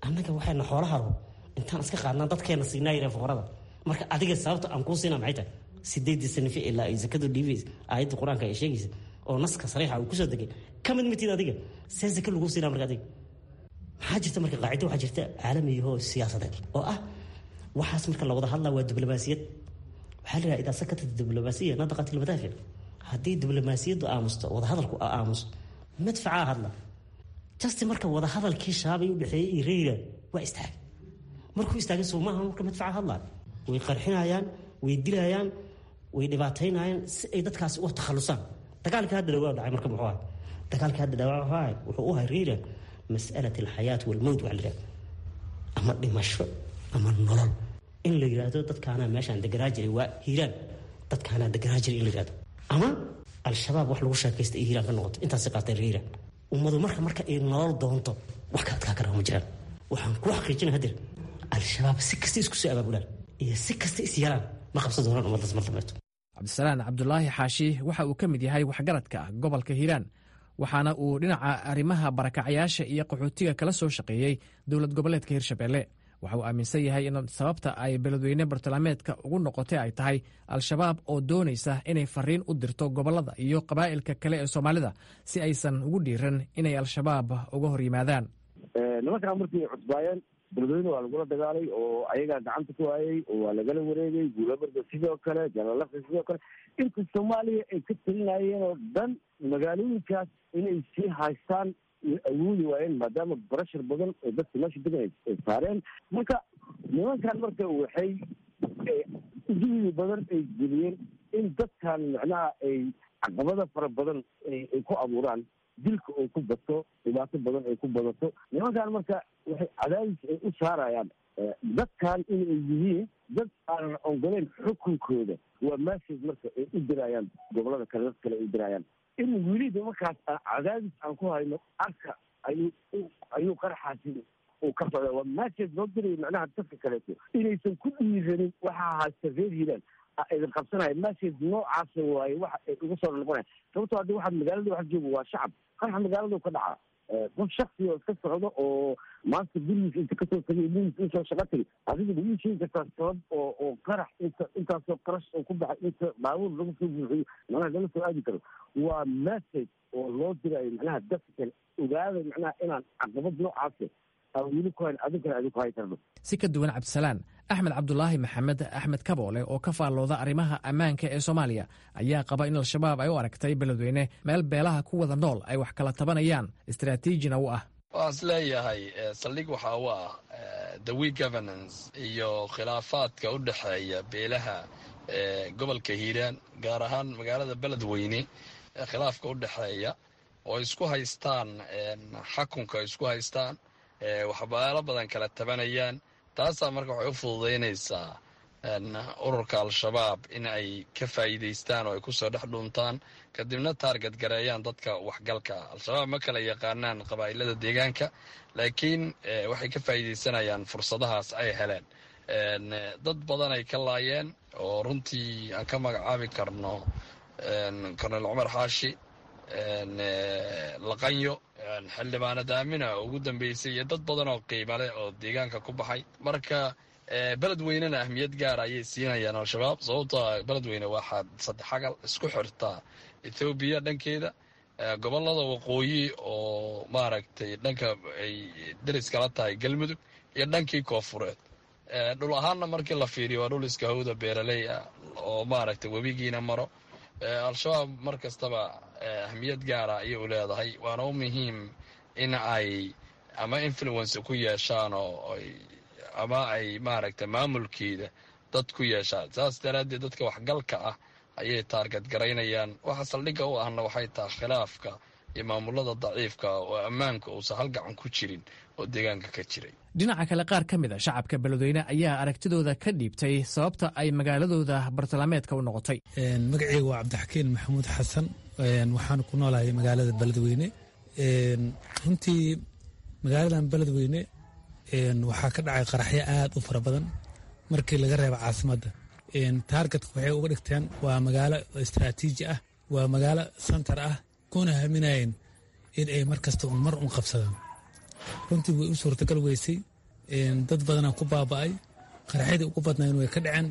Annaga waxayna xoolaha rabo intaan iska qaadnaa dadkeena siinaa yireen fuqarada. Marka adiga sababta aan kuu siinaa maxay tahay? 8dii sinfi ilaa ay zakadu dhiibaysa aayadda Qur-aanka ay sheegaysa oo naska sariixa uu kusoo degay ka mid mitid adiga, see zaka lagu siinaa marka adiga? Maxaa jirta marka? Qaacido waxaa jirta caalamiyahoo siyaasadeed oo ah waxaas marka la wada hadlaa waa diblomaasiyad. Waxaa la yidhaha: idaa sakatat diblomaasiya nadaqat ilmadaafic. Haddii diblomaasiyaddu aamusto, wadahadalku aamuso, madfacaa hadla. Just marka wadahadalkii Shabaab u dhexeeyey iyo reer Hiiraan waa istaagay. Markuu istaagay soo maaha marka madfaca hadlaa? Way qarxinayaan, way dilayaan, way dhibaataynayaan si ay dadkaasi uga takhalusaan. Dagaalkii hadda dhawaa dhacay marka muxuu ahay? Dagaalkii hadda dhawaa wuxuu ahay, wuxuu u ahay reer Hiiraan mas'alat alxayaat walmowt. Waxa la yidhahda ama dhimasho ama nolol. In la yidhaahdo dadkaanaa meeshaan deganaa jiray waa Hiiraan, dadkaanaa deganaa jiray in la yidhahdo ama Al-Shabaab wax lagu sheekaysta iyo Hiiraan ka noqoto, intaasay qaateen reer Hiiraan. Ummadu marka ay nolol doonto wax ka adkaa karaa ma jiraan. Waxaan ku xaqiijina hadeer Al-Shabaab si kasta isku soo abaabulaan, Iyo si kasta is yeelaan, ma qabsan doonaan ummaddaas mar dambeeto. Cabdisalaan Cabdulaahi Xaashi waxa uu ka mid yahay waxgaradka gobolka Hiiraan, waxaana uu dhinaca arrimaha barakacyaasha iyo qaxootiga kala soo shaqeeyey dowlad goboleedka Hirshabelle. Waxa uu aaminsan yahay in sababta ay Beledweyne bartilmaameedka ugu noqotay ay tahay Al-Shabaab oo doonaysa inay fariin u dirto gobollada iyo qabaa'ilka kale ee Soomaalida si aysan ugu dhiiran inay Al-Shabaab uga hor yimaadaan. Nimankaan markii ay cusbaayeen, Beledweyne waa lagula dagaalay oo ayagaa gacanta ku hayay oo waa lagala wareegay. Guulabarda sidoo kale, Jalalaqi sidoo kale, inta Soomaaliya ay ka talinayeen oo dhan magaalooyinkaas inay sii haystaan way awoodi waayeen, maadaama barashar badan oo dadka meesha degan ay saareen. Marka nimankan marka waxay juhdi badan ay geliyeen in dadkan macnaha ay caqabada fara badan ay ku abuuraan, dilka oo ku bato, dhibaato badan ay ku badato. Nimankan marka waxay cadaadis ay u saarayaan dadkan inay yihiin dad aanan ogoleyn xukunkooda. Waa message marka ay u dirayaan gobolada kale, dad kale ay u dirayaan in weli nimankaas cadaadis aan ku hayno. Arka ayuu qaraxaasi uu ka socda. Waa message loo dirayo macnaha dadka kaleeto inaysan ku dhiiranin waxaa haysta reer Hiiraan idin qabsanaya. Message noocaasa waaye waxa ay uga soo noqonaya, sababtoo haddi waxaad magaalada wax jooga waa shacab. Qaraxa magaaladu ka dhacaa, qof shaksi oo iska socdo oo maanta gurigiisa inta kasoo tagay, ilmihiisa usoo shaqo tagay, adiga ma ii sheegi kartaa sabab oo qarax inta intaasoo qarash oo ku baxay, inta baabuur lagu soo buuxiyo, macnaha lala soo aadi karo? Waa message oo loo dirayo macnaha dadka kale: ogaada macnaha inaan caqabad noocaasa aan weli ku hayn, adinkana adinku hay karno. Si ka duwan Cabdisalaan, Axmed Cabdulaahi Maxamed, Axmed Kaboole, oo ka faallooda arrimaha ammaanka ee Soomaaliya, ayaa qaba in Al-Shabaab ay u aragtay Beledweyne meel beelaha ku wada nool ay wax kala tabanayaan, istaraatiijina u ah. Waxaan is leeyahay saldhig waxaa u ah the weak governance iyo khilaafaadka u dhexeeya beelaha gobolka Hiiraan, gaar ahaan magaalada Beledweyne, khilaafka u dhexeeya oo isku haystaan xakunka, isku haystaan, waxbaalo badan kala tabanayaan. Taasaa marka waxay u fududaynaysaa ururka Al-Shabaab in ay ka faa'iidaystaan oo ay kusoo dhex dhuuntaan, kadibna target gareeyaan dadka waxgalka. Al-Shabaab ma kala yaqaanaan qabaa'ilada deegaanka, laakiin waxay ka faa'iidaysanayaan fursadahaas ay heleen. Dad badan ay ka laayeen oo runtii aan ka magacaabi karno Colonel Cumar Xaashi Laqanyo, xildhibaanad Aamina ugu dambeysay, iyo dad badan oo qiimo leh oo deegaanka ku baxay. Marka Beledweynena ahmiyad gaara ayay siinayaan Al-Shabaab, sababtoo Beledweyne waxaa saddexagal isku xirtaa Ethoobiya dhankeeda, gobolada waqooyi oo maaragtay dhanka ay deris kala tahay Galmudug, iyo dhankii koofureed. Dhul ahaanna markii la fiiriyo waa dhul iska hawda, beeraley ah oo maaragtay webigiina maro. Al-Shabaab mar kastaba ahmiyad gaara ayay u leedahay, waana u muhiim in ay ama influence ku yeeshaan oo ama ay maaragtay maamulkeeda dad ku yeeshaan. Saas daraaddeed dadka waxgalka ah ayay target garaynayaan. Waxa saldhigga u ahna waxay tahay khilaafka iyo maamulada daciifka oo ammaanka uusan hal gacan ku jirin oo deegaanka ka jiray. Dhinaca kale, qaar ka mid a shacabka Beledweyne ayaa aragtidooda ka dhiibtay sababta ay magaaladooda bartilmaameedka u noqotay. Magaceyga waa Cabdixakiin Maxamuud Xasan, waxaan ku noolahay magaalada Beledweyne. Runtii magaaladan Beledweyne waxaa ka dhacay qaraxyo aad u fara badan markii laga reebo caasimadda. Targetka waxay uga dhigteen waa magaalo istaraatiiji ah, waa magaalo center ah, kuna haminayeen in ay mar kasta un mar un qabsadaan. Runtii way u suurtagal weysay, dad badanaa ku baaba'ay, qaraxyadii ugu badnayn way ka dhaceen.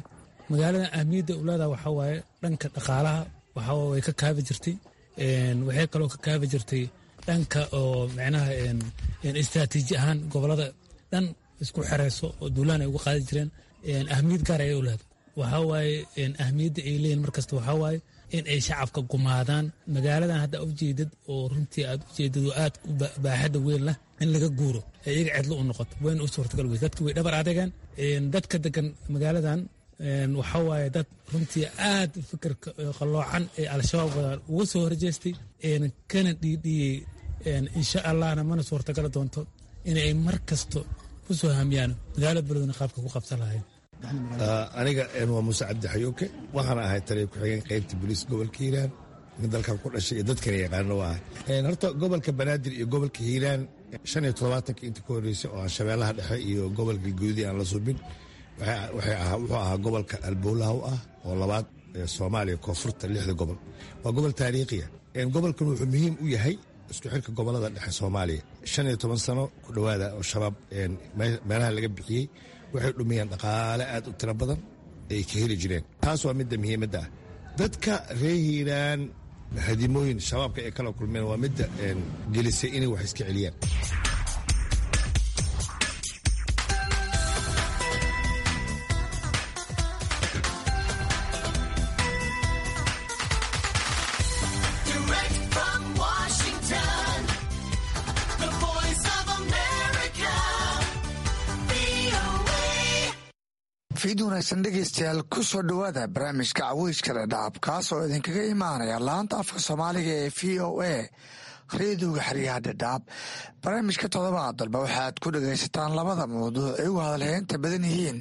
Magaaladan ahmiyadda u leedaha waxaa waaye dhanka dhaqaalaha, waxaa way ka kaabi jirtay. Waxay kaloo ka kaabi jirtay dhanka oo micnaha istaraatiiji ahaan gobolada dhan isku xereyso oo duulaan ay uga qaadi jireen. Ahmiyad gaar ayay u leedahay. Waxaa waaye ahmiyadda ay leeyihin markasta waxaa waaye in ay shacabka gumaadaan. Magaaladan hadda ujeedad oo runtii aad ujeedad oo aad u baaxadda weyn leh in laga guuro ee iyaga cidlo u noqoto, wayna u suurtagal weys. Dadka way dhabar adegaan. Dadka degan magaaladan waxaa waaye dad runtii aad fikirka qalloocan ee Al-Shabaab wadaan uga soo horjeestay, kana dhiidhiyey. Insha Allahna mana suurtagali doonto inay mar kasto ku soo hamiyaan magaalada Beledweyne qaabka ku qabsan lahayd. Aniga waa Muuse Cabdi Xayuuke, waxaan ahay taliya ku-xigeen qaybta booliis gobolka Hiiraan. Nin dalkan ku dhashay iyo dadkana yaqaano waa ahay. Horta gobolka Banaadir iyo gobolka Hiiraan 75-ka inta ka horreysay oo aan Shabeellaha Dhexe iyo gobolka Galguudi aan la subin, Wuxuu ahaa gobolka alboolaha u ah oo labaad ee Soomaaliya, koonfurta lixda gobol. Waa gobol taariikhiya. Gobolkan wuxuu muhiim u yahay isku xirka gobolada dhexe Soomaaliya. 15 sano ku dhowaada oo Shabaab meelaha laga bixiyey, waxay dhumiyeen dhaqaale aad u tiro badan ay ka heli jireen. Taas waa midda muhiimadda ah. Dadka reer Hiiraan hadimooyin Shabaabka ay kala kulmeen waa midda gelisay inay wax iska celiyaan. Direct from Washington, the voice of America, VOA. Fiid wanaagsan dhegeystayaal, ku soo dhowaada barnaamijka Caweyska Dhadhaab, kaas oo idinkaga imaanaya laanta afka Soomaaliga ee VOA, reediyoga xeryaha Dhadhaab. Barnaamijka toddobaad dalba waxaad ku dhegaysataan labada mawduuc ay ugu hadalheynta badan yihiin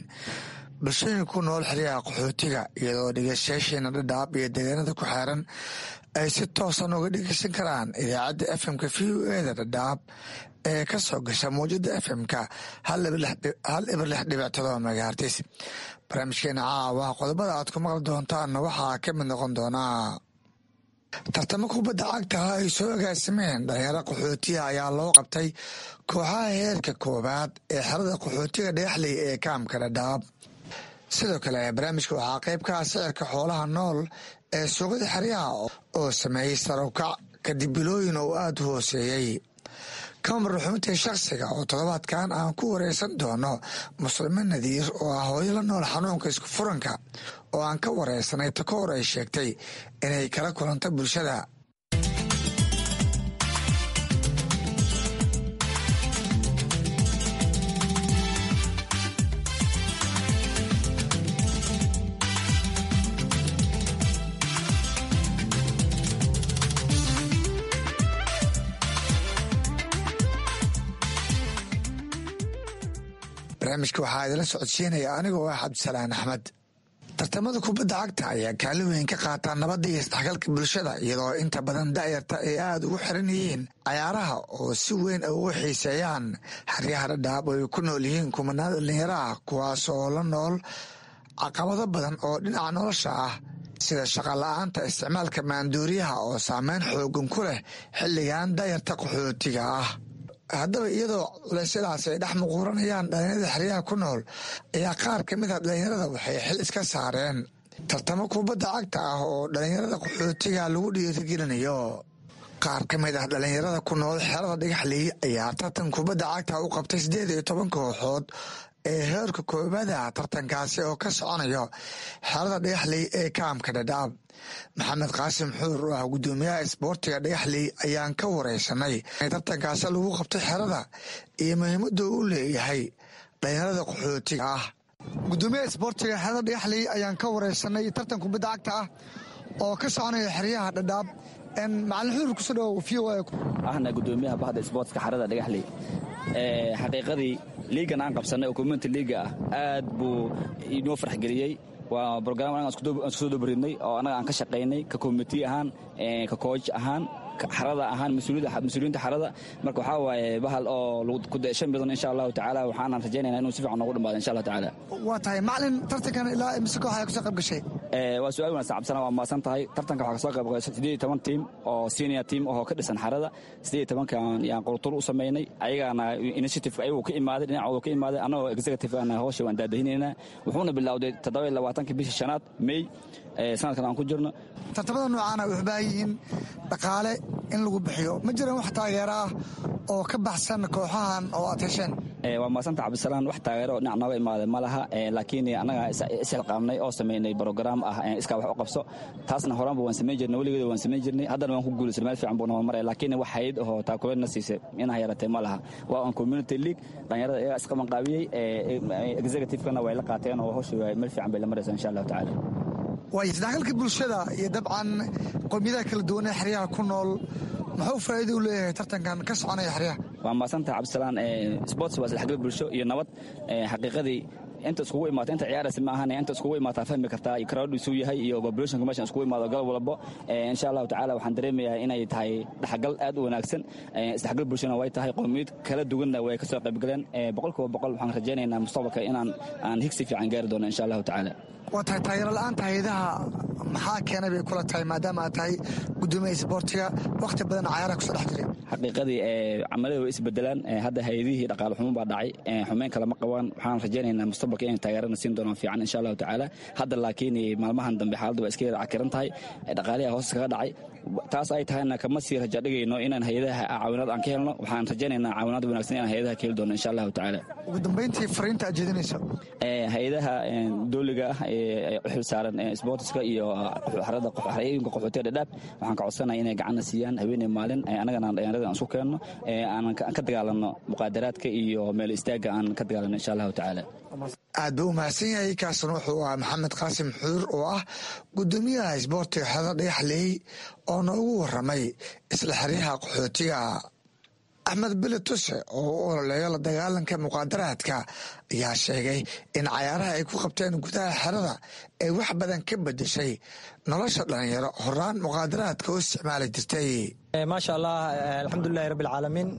bulshooyinka ku nool xeryaha qaxootiga, iyadoo dhegeystayaasheena Dhadhaab iyo deegaanada ku xeeran ay si toosan uga dhegeysan karaan idaacadda FM-ka VOA da Dhadhaab ee ka soo gasha mawjada FM-ka 106.7 megahertz. Barnaamijkeena caawa qodobada aad ku maqli doontaanna waxaa ka mid noqon doonaa tartamo kubadda cagtaha ay soo agaasimeen dhalinyaro qaxootiga ayaa loo qabtay kooxaha heerka koowaad ee xerada qaxootiga Dhagaxley ee kaamka Dhadhaab. Sidoo kale barnaamijka waxaa qayb ka ah sicirka xoolaha nool ee suuqyada xeryaha oo sameeyey sarukac kadib bilooyin oo aada u hooseeyey. Kamar xubintii shakhsiga oo toddobaadkan aan ku wareysan doono Muslime Nadiir oo ah hooyo la nool xanuunka isku furanka, oo aan ka wareysanay takoor ay sheegtay inay kala kulanto bulshada. Barnaamijka waxaa idinla socodsiinaya anigoo ah Cabdisalaan Axmed. Tartamada kubadda cagta ayaa kaalin weyn ka qaataa nabadda iyo isdhexgalka bulshada, iyadoo inta badan da'yarta ay aada ugu xiran yihiin cayaaraha oo si weyn ay ugu xiiseeyaan. Xeryaha Dhadhaab oo ay ku nool yihiin kumanaan dhalinyaro ah, kuwaas oo la nool caqabado badan oo dhinaca nolosha ah, sida shaqa la-aanta, isticmaalka maanduuriyaha oo saameyn xoogan ku leh xilligan da'yarta qaxootiga ah. Haddaba iyadoo culeysyadaas ay dhex muquuranayaan dhalinyarada xeryaha ku nool, ayaa qaar ka mid a dhalinyarada waxay xil iska saareen tartamo kubadda cagta ah oo dhalinyarada qaxootiga lagu dhiirigelinayo. Qaar ka mid ah dhalinyarada ku nool xerada Dhagaxley ayaa tartan kubadda cagta u qabtay 18 kooxood ee heerka koobaada, tartankaasi oo ka soconayo xerada Dhagaxley ee kaamka Dhadhaab. Maxamed Qaasim Xuur oo ah guddoomiyaha isboortiga Dhagaxley ayaan ka wareysanay tartankaasi lagu qabtay xerada iyo muhiimada uu leeyahay dhalinyarada qaxootiga ah. Gudoomiyaha isboortiga xerada Dhagaxley ayaan ka wareysanay tartan kubadda cagta ah oo ka soconaya xeryaha Dhadhaab. Macalin Xuur, kusoo dhawow VOA. Ahna gudoomiyaha bahda isboortska xerada Dhagaxley. Xaqiiqadii liigan aan qabsannay oo community liiga ah aad buu inoo farxgeliyey. Waa brogram anaga aan isku soo dobaridnay oo annaga aan ka shaqaynay, ka committee ahaan, ka coach ahaan, xarada ahaan, mas-uuliyiinta xarada. Marka waxaa waaye bahal oo ku dayshan badan insha Allahu tacaala. Waxaanan rajaynaynaa inuu si fiican noogu dhamaado insha Allahu tacaala. Waa tahay macalin, tartankan ilaa imise koox ayaa kusoo qayb gashay? Waa su-aal wanaagsan Cabsana, waa mahadsan tahay. Tartanka waxaa kasoo qayb galay 18 tiim oo senior team oo ka dhisan xarada. 18-kan yaan qurtur u samaynay, ayagaana initiative ayagu ka imaaday, dhinacooda ka imaaday. Annagoo executive ana hawsha waan daadahinaynaa. Wuxuuna bilowday 27-ka bisha shanaad May sanadkan aan ku jirno. Tartamada noocaana waxay u baahan yihiin dhaqaale in lagu bixiyo. Ma jiraan wax taageero ah oo ka baxsan kooxahan oo aad hesheen? Waa mahadsanta Cabdisalaan. Wax taageero oo dhinac nooga imaaday ma laha, laakiin annaga isxilqaamnay oo samaynay brograam ah iskaa wax u qabso. Taasna horaanba waan samayn jirnay, weligeeda waan samayn jirnay, haddana waan ku guulaysanay, meel fiican buu noo maraya. Laakiin wax hayad ahoo taakuleedna siisay inaa yaratay ma laha. Waa on community league, dhalinyarada iyagaa isqabanqaabiyey, executive-kana way la qaateen oo hawsha meel fiican bay la maraysaa insha Allahu tacaala. Waay, isdhexgalka bulshada iyo dabcan qowmiyadaha kala duwan ee xeryaha ku nool muxuu faa'iido u leeyahay tartankan ka soconaya xeryaha? Waa mahadsantaha Cabdisalaan. Sports waa isdhexgal bulsho iyo nabad. Xaqiiqadii Inta iskugu imaata, inta ciyaaraysa ma ahan, inta iskugu imaataa fahmi kartaa crowd isuu yahay iyo populationka meeshan iskugu imaado galab walbo. Insha Allahu tacaala waxaan dareemayaa inay tahay dhexgal aad u wanaagsan, isdhexgal bulshana way tahay, qowmiyad kala duwanna way kasoo qaybgaleen. 100% waxaan rajaynaynaa mustaqbalka inaan aan higsi fiican gaari doono, insha Allahu tacaala. Waa tahay, taageero la-aanta hayadaha maxaa keenay bay kula tahay, maadaama aad tahay gudoomiya isboortiga, wakhti badan cayaaraha kusoo dhex jiray? Xaqiiqadii camalada way isbedelaan hadda. Hay-adihii dhaqaale xumo baa dhacay, xumeyn kale ma qabaan. Waxaan rajaynaynaa mustaqbalka inay taageerana siin doonaan fiican, insha Allahu tacaala. Hadda laakiin maalmahan dambe xaaladda waa iska yara cakiran tahay, dhaqaaliha hoos kaga dhacay. Taas ay tahayna kama sii raja dhigayno inaan hay-adaha caawinaad aan ka helno. Waxaan rajaynaynaa caawinaad wanaagsan inaan hay-adaha ka heli doono, insha Allahu tacaala. Ugu dambeyntii, fariinta aad jeedinayso? Hay-adaha dowliga ah ee u xil saaran sportiska iyo xarada xarooyinka qaxootiga Dhadhaab waxaan ka codsanaya inay gacanna siiyaan habeenay maalin, annagana dhalinyarada aan isku keenno, aan ka dagaalanno muqaadaraadka iyo meel istaagga aan ka dagaalanno, insha Allahu tacaala. Aad buu u mahadsan yahay. Kaasna wuxuu ahaa Maxamed Qaasim Xuur oo ah gudoomiyaha isboortiga xerada Dhagaxley oo noogu waramay isla xeryaha qaxootiga. Axmed Bili Tuse oo u ololeeyo la dagaalanka muqaadaraadka ayaa sheegay in cayaaraha ay ku qabteen gudaha xerada ay wax badan ka bedeshay nolosha dhalinyaro horaan muqaadaraadka u isticmaali jirtay. Maasha Allah, alxamdulilahi rabbi alcaalamiin.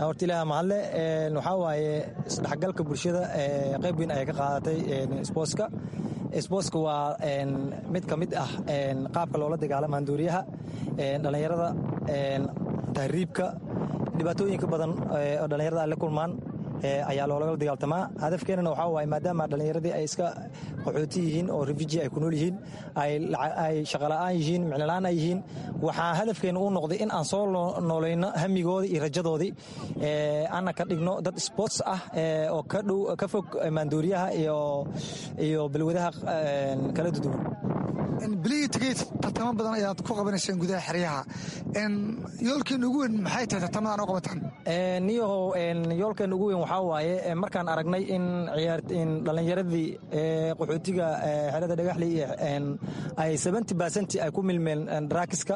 Horta Ilaah mahadle. Waxaa waaye isdhexgalka bulshada qayb weyn ayay ka qaadatay sboortska. Sboortska waa mid ka mid ah qaabka loola dagaalamo handuuriyaha, dhallinyarada, tahriibka, dhibaatooyinka badan oo dhallinyarada ay la kulmaan ayaa loolagala dagaaltamaa. Hadafkeenana waxaa waaye, maadaama dhallinyaradii ay iska qaxooti yihiin oo refugee ay ku nool yihiin, ay shaqola'aan yihiin, micnola-aan ay yihiin, waxaa hadafkeena uu noqday in aan soo noolayno hamigoodii iyo rajadoodii, ana ka dhigno dad sports ah oo ka dhow, ka fog maanduuriyaha iyo balwadaha kala duwan. Bilihii tegey tartamo badan ayaad ku qabanayseen gudaha xeryaha. Yoolkiina ugu weyn maxay tahay tartamadan oo qabataan? Niyahow, yoolkeena ugu weyn waxaa waaye markaan aragnay in in dhallinyaradii qaxootiga xerada Dhagaxley ay 70% ay ku milmeen drugska,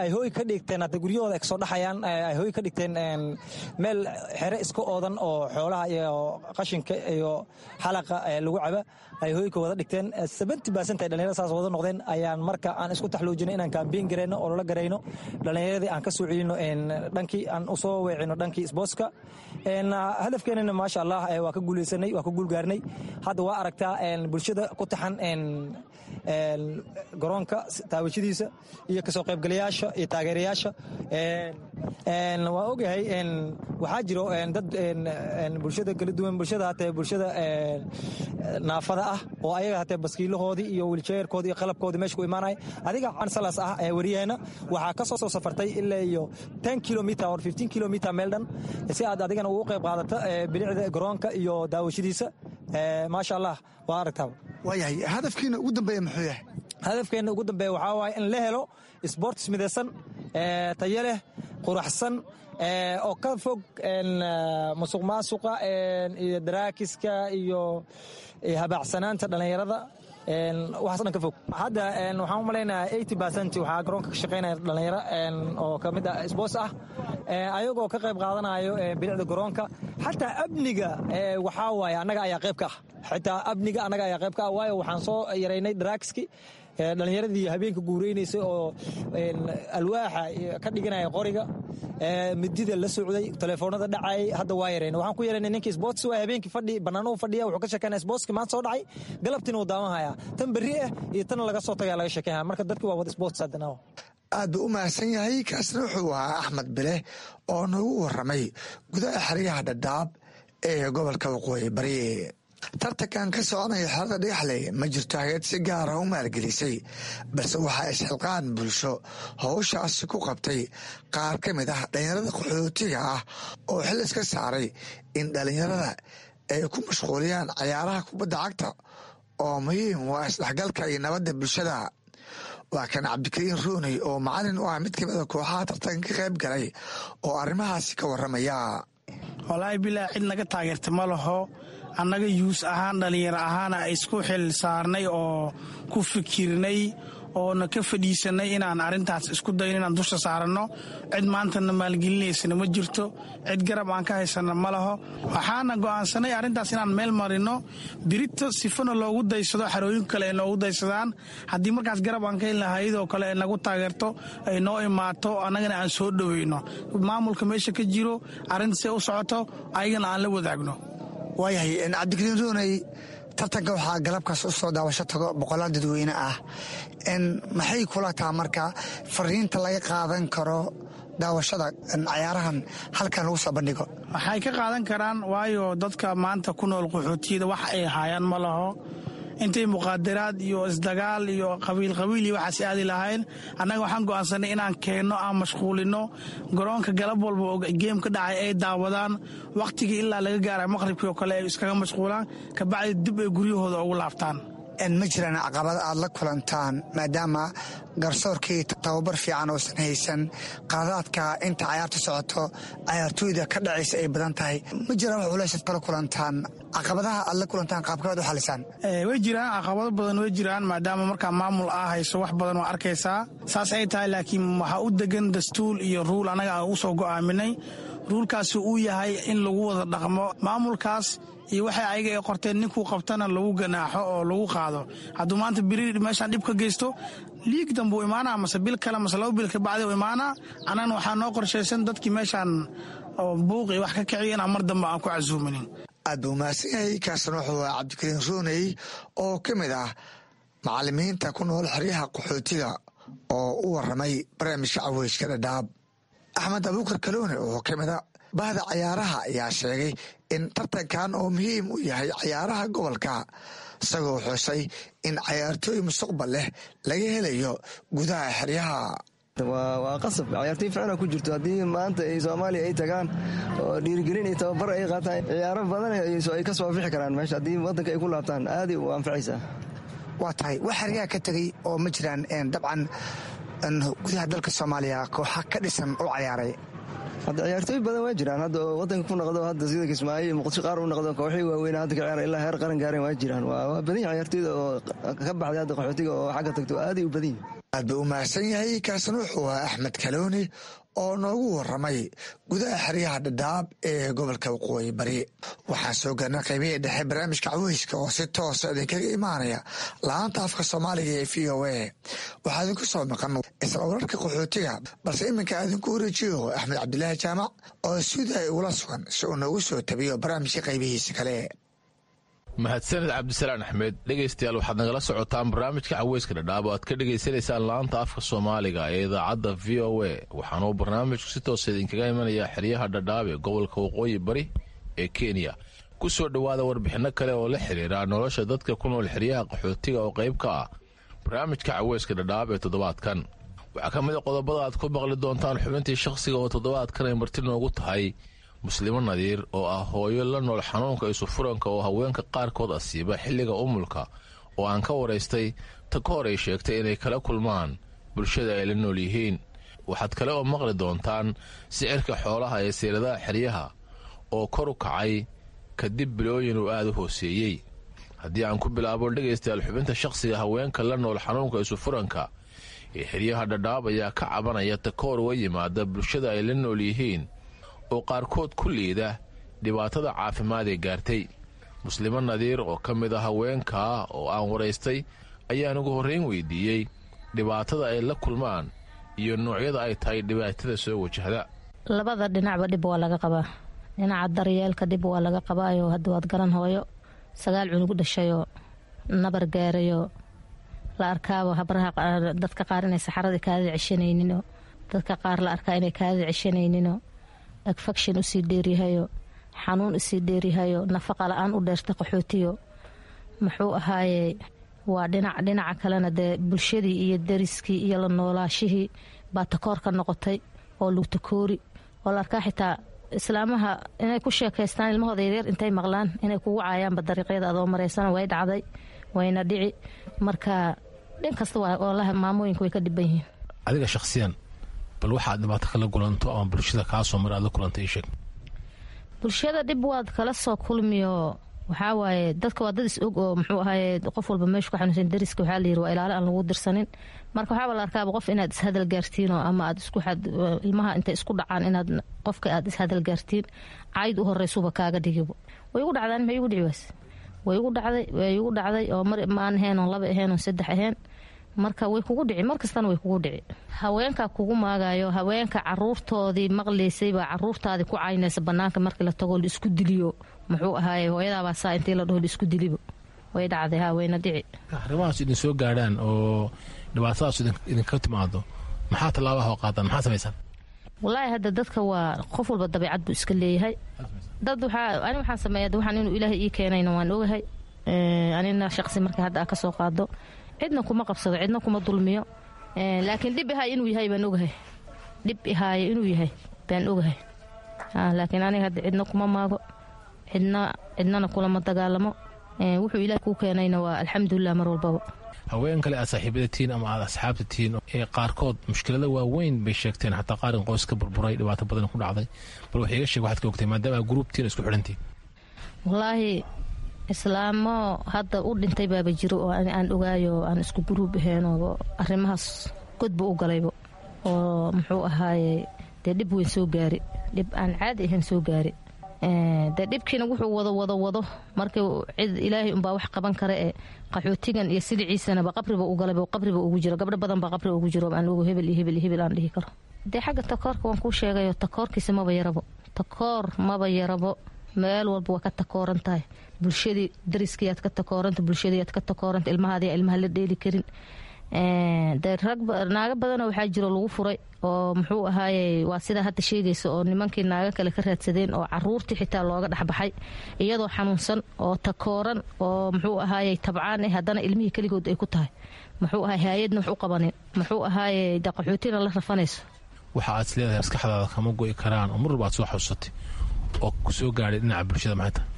ay hooy ka dhigteen hadda guryahooda ay kasoo dhaxayaan, ay hooy ka dhigteen meel xere iska oodan oo xoolaha iyo qashinka iyo xalaqa lagu caba ay hooy ka wada dhigteen, 70% ay dhalinyarada saas wada noqdeen, ayaan marka aan isku taxluujinay inaan campaign gareyno oo lala garayno dhallinyaradii, aan ka soo celino dhankii, aan usoo weecino dhankii sportska. Hadafkeenana maasha Allah waa ka guuleysanay, waa ka guulgaarnay. Hadda waa aragtaa bulshada ku taxan garoonka taawashadiisa iyo kasoo qaybgalayaasha iyo taageerayaasha. Waa ogahay waxaa jiro dad bulshada kala duwan, bulshada hatee bulshada naafada ah oo ayaga hatee baskiilahoodii iyo wheelchairkoodii iyo qalabkoodii meesha ku imaanaya. Adiga cansalas ah ee wariyaheena waxaa ka soo safartay ilaa iyo 10 kilometer or 15 kilometer meel dhan si aad adigana ugu qayb qaadato bilicda garoonka iyo daawashadiisa. Maasha Allah, waa aragtaa. Waayahay, hadafkiina ugu dambeeya muxuu yahay? Hadafkeena ugu dambeeya waxaa waaye in la helo sports midaysan, tayo leh, quraxsan oo ka fog musuq maasuqa iyo drugska iyo habaacsanaanta dhallinyarada, waxaas dhan ka fog. Hadda waxaan u malaynayaa 80% waxaa garoonka ka shaqaynaya dhalinyaro oo ka mid ah sports ah, ayagoo ka qayb qaadanayo bilicda garoonka. Xataa amniga waxaa waaye annaga ayaa qayb ka ah, xitaa amniga annaga ayaa qayb ka ah, waayo waxaan soo yaraynay drugski. Dhalinyaradii habeenka guureynaysay oo alwaaxa ka dhiganaya qoriga, midida la socday, telefoonada dhacay, hadda waa yareen. Waxaan ku yareynay ninkii sports waa habeenkii fadhi bannaan uu fadhiya, wuxuu ka sheekeynaya sportski maanta soo dhacay, galabtiina uu daawan tan berri ah iyo tan laga soo tagaya laga sheekeynaya. Marka dadki waa wada sports haddana. Aad buu u mahadsan yahay. Kaasna wuxuu ahaa Axmed Bile oo noogu waramay gudaha xeryaha Dhadhaab ee gobolka Waqooyi Bari. Tartankan ka soconaya xerada Dhagaxley ma jirto hayad si gaara u maalgelisay, balse waxaa isxilqaan bulsho howshaasi ku qabtay qaar ka mid ah dhalinyarada qaxootiga ah oo xil iska saaray in dhalinyarada ay ku mashquuliyaan cayaaraha kubadda cagta oo muhiim waa isdhexgalka iyo nabadda bulshada. Waa kan Cabdikariin Rooney oo macalin u ah mid kamid a kooxaha tartanka ka qayb galay oo arrimahaasi ka waramaya. Walaahi bilaa, cid naga taageerta ma laho. Annaga youth ahaan, dhallinyaro ahaana isku xil saarnay oo ku fikirnay. Oona ka fadhiisanay inaan arrintaas isku dayno inaan dusha saaranno. Cid maantana maalgelinaysana ma jirto, cid garab aan ka haysana ma laho. Waxaana go'aansanay arrintaas inaan meel marino birito sifana loogu daysado, xarooyin kale ay noogu daysadaan. Haddii markaas garab aan ka helna, hay-adoo kale ay nagu taageerto, ay noo imaato, annagana aan soo dhoweyno maamulka meesha ka jiro, arrinta see u socoto ayagana aan la wadaagno. Waayahay, Cabdikariin Rooney, tartanka waxaa galabkaas u soo daawasho tago boqolaal dadweyne ah. Maxay kula taha marka fariinta laga qaadan karo daawashada cayaarahan halkan lagu soo bandhigo? Waxay ka qaadan karaan, waayo dadka maanta ku nool qaxootiyada wax ay haayaan ma laho. Intay muqaadaraad iyo isdagaal iyo qabiilqabiil iyo waxaas aadi lahayn, annaga waxaan go'aansanay inaan keenno, aan mashquulino garoonka galab walba oo geem ka dhacay ay daawadaan, wakhtigii ilaa laga gaara maqhribkii oo kale ay iskaga mashquulaan, kabacdi dib ay guryahooda ugu laabtaan. Ma jiraan caqabad aad la kulantaan maadaama garsoorkii tababar fiican uusan haysan, qaladaadka inta cayaarta socoto cayaartooyda ka dhacaysa ay badan tahay? Ma jiraan wax culaysaad kala kulantaan? Caqabadaha aad la kulantaan qaabkabaad u xalisaan? Way jiraan caqabado badan, way jiraan, maadaama markaa maamul aa hayso wax badan waa arkaysaa saas ay tahay. Laakiin waxaa u degan dastuul iyo ruul annaga aan u soo go'aaminay. Ruulkaasi uu yahay in lagu wada dhaqmo maamulkaas iyo waxay ayaga ay qorteen, ninkuu qabtana lagu ganaaxo oo lagu qaado. Hadduu maanta beri meeshaan dhib ka geysto, liig danbuu imaanaa, mase bil kale mase 2 bil kabacdi u imaanaa. Annagana waxaa noo qorshaysan dadkii meeshaan oo buuq iyo wax ka kiciya inaan mar dambe aan ku casuuminin. Aad buu mahadsan yahay. Kaasna wuxuu ahaa Cabdikariin Rooney oo ka mid ah macalimiinta ku nool xeryaha qaxootiga oo u waramay barnaamijka Caweyska Dhadhaab. Axmed Abuukar Kaloone oo ka mid a bahda cayaaraha ayaa sheegay in tartankan oo muhiim u yahay cayaaraha gobolka, isagoo xusay in cayaartooy mustaqbal leh laga helayo gudaha xeryaha. Waa qasab cayaartooy ficna ku jirto haddii maanta ay Soomaaliya ay tagaan oo dhiirigelin iyo tababar ay qaataan, ciyaaro badan ay ka soo bixi karaan meesha. Haddii waddanka ay ku laabtaan, aaday u anfacaysaa. Waa tahay, wax xeryaha ka tegey oo ma jiraan dabcan gudaha dalka Soomaaliya kooxa ka dhisan u cayaaray? Hadda ciyaartooy badan waa jiraan hadda oo wadanka ku noqdo, hadda sida Kismaayo iyo Muqdisho qaar u noqdo, kooxii waaweyn hadda ka ciyaara ilaa heer qaran gaareen waa jiraan. Waa badan yahay ciyaartooyda oo ka baxday hadda qaxootiga oo xagga tagto, aaday u badan yihin. Aad buu u mahadsan yahay. Kaasna wuxuu ahaa Axmed Kalooni oo noogu waramay gudaha xeryaha Dhadhaab ee gobolka Waqooyi Bari. Waxaan soo gaarnay qaybihii dhexe barnaamijka Caweyska oo si toosa idinkaga imaanaya laanta afka Soomaaliga ee VOA. Waxaa idinku soo maqan isla wararka qaxootiga, balse iminka idinku wareejiyo Axmed Cabdilaahi Jaamac oo suudaay ugula sugan si uu noogu soo tabiyo barnaamijka qaybihiisa kale. Mahadsaned Cabdisalaan Axmed. Dhegaystayaal, waxaad nagala socotaan barnaamijka Caweyska Dhadhaab oo aad ka dhegaysanaysaan laanta afka Soomaaliga ee idaacadda VOA. Waxaanuu barnaamijku si toosa idinkaga imanayaa xeryaha Dhadhaab ee gobolka Waqooyi Bari ee Kenya. Ku soo dhowaada warbixinno kale oo la xiriira nolosha dadka ku nool xeryaha qaxootiga oo qayb ka ah barnaamijka Caweyska Dhadhaab ee toddobaadkan. Waxaa ka mid a qodobada aad ku maqli doontaan xubintii shakhsiga oo toddobaadkan ay marti noogu tahay Muslimo Nadiir oo ah hooyo la nool xanuunka isufuranka oo haweenka qaarkood asiiba xilliga umulka, oo aan ka waraystay ta ka hor ay sheegtay inay kala kulmaan bulshada ay la nool yihiin. Waxaad kale oo maqli doontaan sicirka xoolaha ee seeladaha xeryaha oo kor u kacay kadib bilooyin uu aada u hooseeyey. Haddii aan ku bilaabo, dhegaystayaal, xubinta shakhsiga, haweenka la nool xanuunka isufuranka ee xeryaha Dhadhaab ayaa ka cabanaya takoor uga yimaada bulshada ay la nool yihiin oo qaarkood ku liida dhibaatada caafimaad ee gaartay. Muslimo Nadiir oo ka mid ah haweenkaa oo aan waraystay ayaan ugu horrayn weydiiyey dhibaatada ay la kulmaan iyo noocyada ay tahay dhibaatada soo wajahda. Labada dhinacba dhib waa laga qabaa. Dhinaca daryeelka dhib waa laga qabaayo. Hadda waad garan, hooyo 9 cunug dhashayoo nabar gaarayoo la arkaaba habraha dadka qaar inay saxaradii kaadida ceshanayninoo, dadka qaar la arkaa inay kaadida ceshanayninoo, agfakshin usii dheeryahayo, xanuun usii dheeryahayo, nafaqa la-aan u dheerta qaxootiyo muxuu ahaaye. Waa dhinac. Dhinaca kalena dee bulshadii iyo dariskii iyo la noolaashihii baa takoor ka noqotay oo lugtakoori oo la arkaa xitaa islaamaha inay ku sheekaystaan ilmahooda yaryar intay maqlaan inay kugu caayaanba dariiqyada adoo maraysana. Way dhacday, wayna dhici. Marka dhin kasta walahi maamooyinka way ka dhiban yihiin. Adiga shakhsiyan, bal waxaad dhibaato kala kulanto ama bulshada kaa soo mara aad la kulantay ii sheeg. Bulshada dhib waad kala soo kulmiyo. Waxaa waaye dadka waa dad is og oo muxuu ahaye qof walba meeshu ka xanuunsan dariska waxaa la yiri waa ilaalo aan lagu dirsanin. Marka waxaaba la arkaaba qof inaad ishadal gaartiin oo ama aad isku ilmaha intay isku dhacaan inaad qofka aad ishadal gaartiin, cayd u horeysuba kaaga dhigibo. Way igu dhacdaan, maxay igu dhici waas? Way igu dhacday, way igu dhacday oo mar maan ahayn oon laba ahayn oon saddex ahayn. Marka way kugu dhici, mar kastana way kugu dhici. Haweenka kugu maagayo, haweenka caruurtoodii maqlaysay baa caruurtaadii ku caynaysa banaanka markii la tago la isku diliyo. Muxuu ahaaye hooyadaabaa saa intii la dhaho la isku dilibo. Way dhacday, haa, wayna dhici. Arrimahaas idin soo gaadhaan oo dhibaatadaas idinka timaado, maxaa tallaabaha oo qaadaan? Maxaa samaysaan? Wallaahi hadda dadka waa qof walba dabeecad buu iska leeyahay. Dad waxaa ani waxaan sameeya waxaan inuu Ilaahay ii keenayna waan ogahay. Anina shaqsi marka hadda aa ka soo qaado, cidna kuma qabsado, cidna kuma dulmiyo, laakiin dhib ihaay inuu yahay baan ogahay. Dhib ihaayo inuu yahay baan ogahay, laakiin aniga hadda cidna kuma maago, cidna cidnana kulama dagaalamo. Wuxuu Ilaah kuu keenayna waa alxamdulilah mar walbaba. Haween kale aad saaxiibada tihiin ama aad asxaabta tihiin ee qaarkood mushkilada waaweyn bay sheegteen, xataa qaarin qoys ka burburay, dhibaato badan ku dhacday. Bal wax iiga sheeg waxaad ka ogtay maadaama aad gruubtiin isku xidhantiin. Wallaahi islaamo hadda u dhintay baaba jiro oo aan ogaayo, aan isku guruub ahayn oo arrimahaas godba u galaybo oo muxuu ahaaye dee dhib weyn soo gaari, dhib aan caadi ahayn soo gaari. Dee dhibkiina wuxuu wado wado wado markii cid Ilaahay unbaa wax qaban kara ee qaxootigan iyo siliciisanaba qabriba u galayba, qabriba ugu jiro. Gabdho badan baa qabri ugu jiro aan ogo, hebel iyo hebel iyo hebel aan dhihi karo. Dee xagga takoorka waan kuu sheegayo, takoorkiisa maba yarabo, takoor maba yarabo. Meel walba waa ka takooran tahay. Bulshadii dariskiyaad ka takooranta, bulshadiiyaad ka takooranta, ilmahaadiyaa ilmaha la dheeli karin. Dee rag naago badanoo waxaa jiro lagu furay oo muxuu ahaaye waa sidaa hadda sheegaysa oo nimankii naago kale ka raadsadeen oo caruurtii xitaa looga dhexbaxay iyadoo xanuunsan oo takooran oo muxuu ahaaye tabcaan haddana ilmihii keligood ay ku tahay, muxuu ahaay haayadna wax u qabanin, muxuu ahaaye dee qaxootina la rafanayso. Waxa aad is leedahay maskaxdaada kama go'i karaan oo mar walba aad soo xasuusatay oo ku soo gaadhay dhinaca bulshada maxay tahay?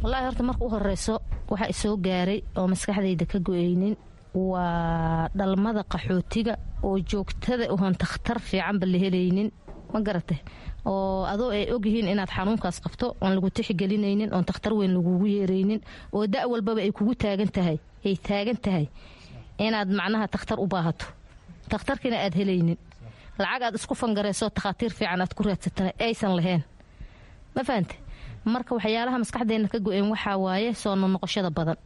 Wallaahi horta marka u horeyso waxa isoo gaaray oo maskaxdayda ka go-eynin waa dhalmada qaxootiga oo joogtada oon takhtar fiicanba la helaynin, ma garatay, oo adoo ay ogyihiin inaad xanuunkaas qabto oon lagu tixgelinaynin, oon takhtar weyn lagugu yeeraynin, oo da' walbaba ay kugu taagan tahay, ay taagan tahay inaad macnaha takhtar u baahato, takhtarkiina aad helaynin, lacag aad isku fangarayso takhaatiir fiican aad ku raadsatana aysan lahayn, ma fahante? Marka waxyaalaha maskaxdeena ka go-een waxaa waaye soo noqnoqoshada badan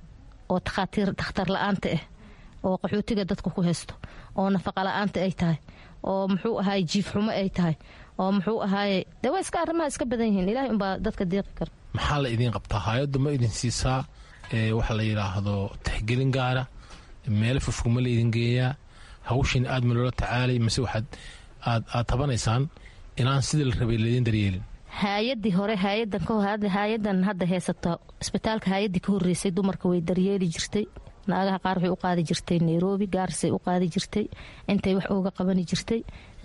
oo takhaatiir takhtar la-aanta ah oo qaxootiga dadka ku haysto, oo nafaqa la-aanta ay tahay, oo muxuu ahaay jiif xumo ay tahay, oo muxuu ahaaye dee waa iska arrimaha iska badan yihiin. Ilaahay unbaa dadka deeqi kara. Maxaa la idiin qabtaa? Hay-addu ma idin siisaa waxa la yidhaahdo tixgelin gaara? Meelo fogfog ma la idin geeyaa? Hawshin aad ma loola tacaalay mise waxaad aad tabanaysaan inaan sidii la rabay laydin daryeelin? Haayadii hore, haayadan hadda haysato isbitaalka, haayadii ka horeysay dumarka way daryeeli jirtay. Naagaha qaar waxay u qaadi jirtay Nairobi, Gaarisay u qaadi jirtay, intay wax ooga qabani jirtay.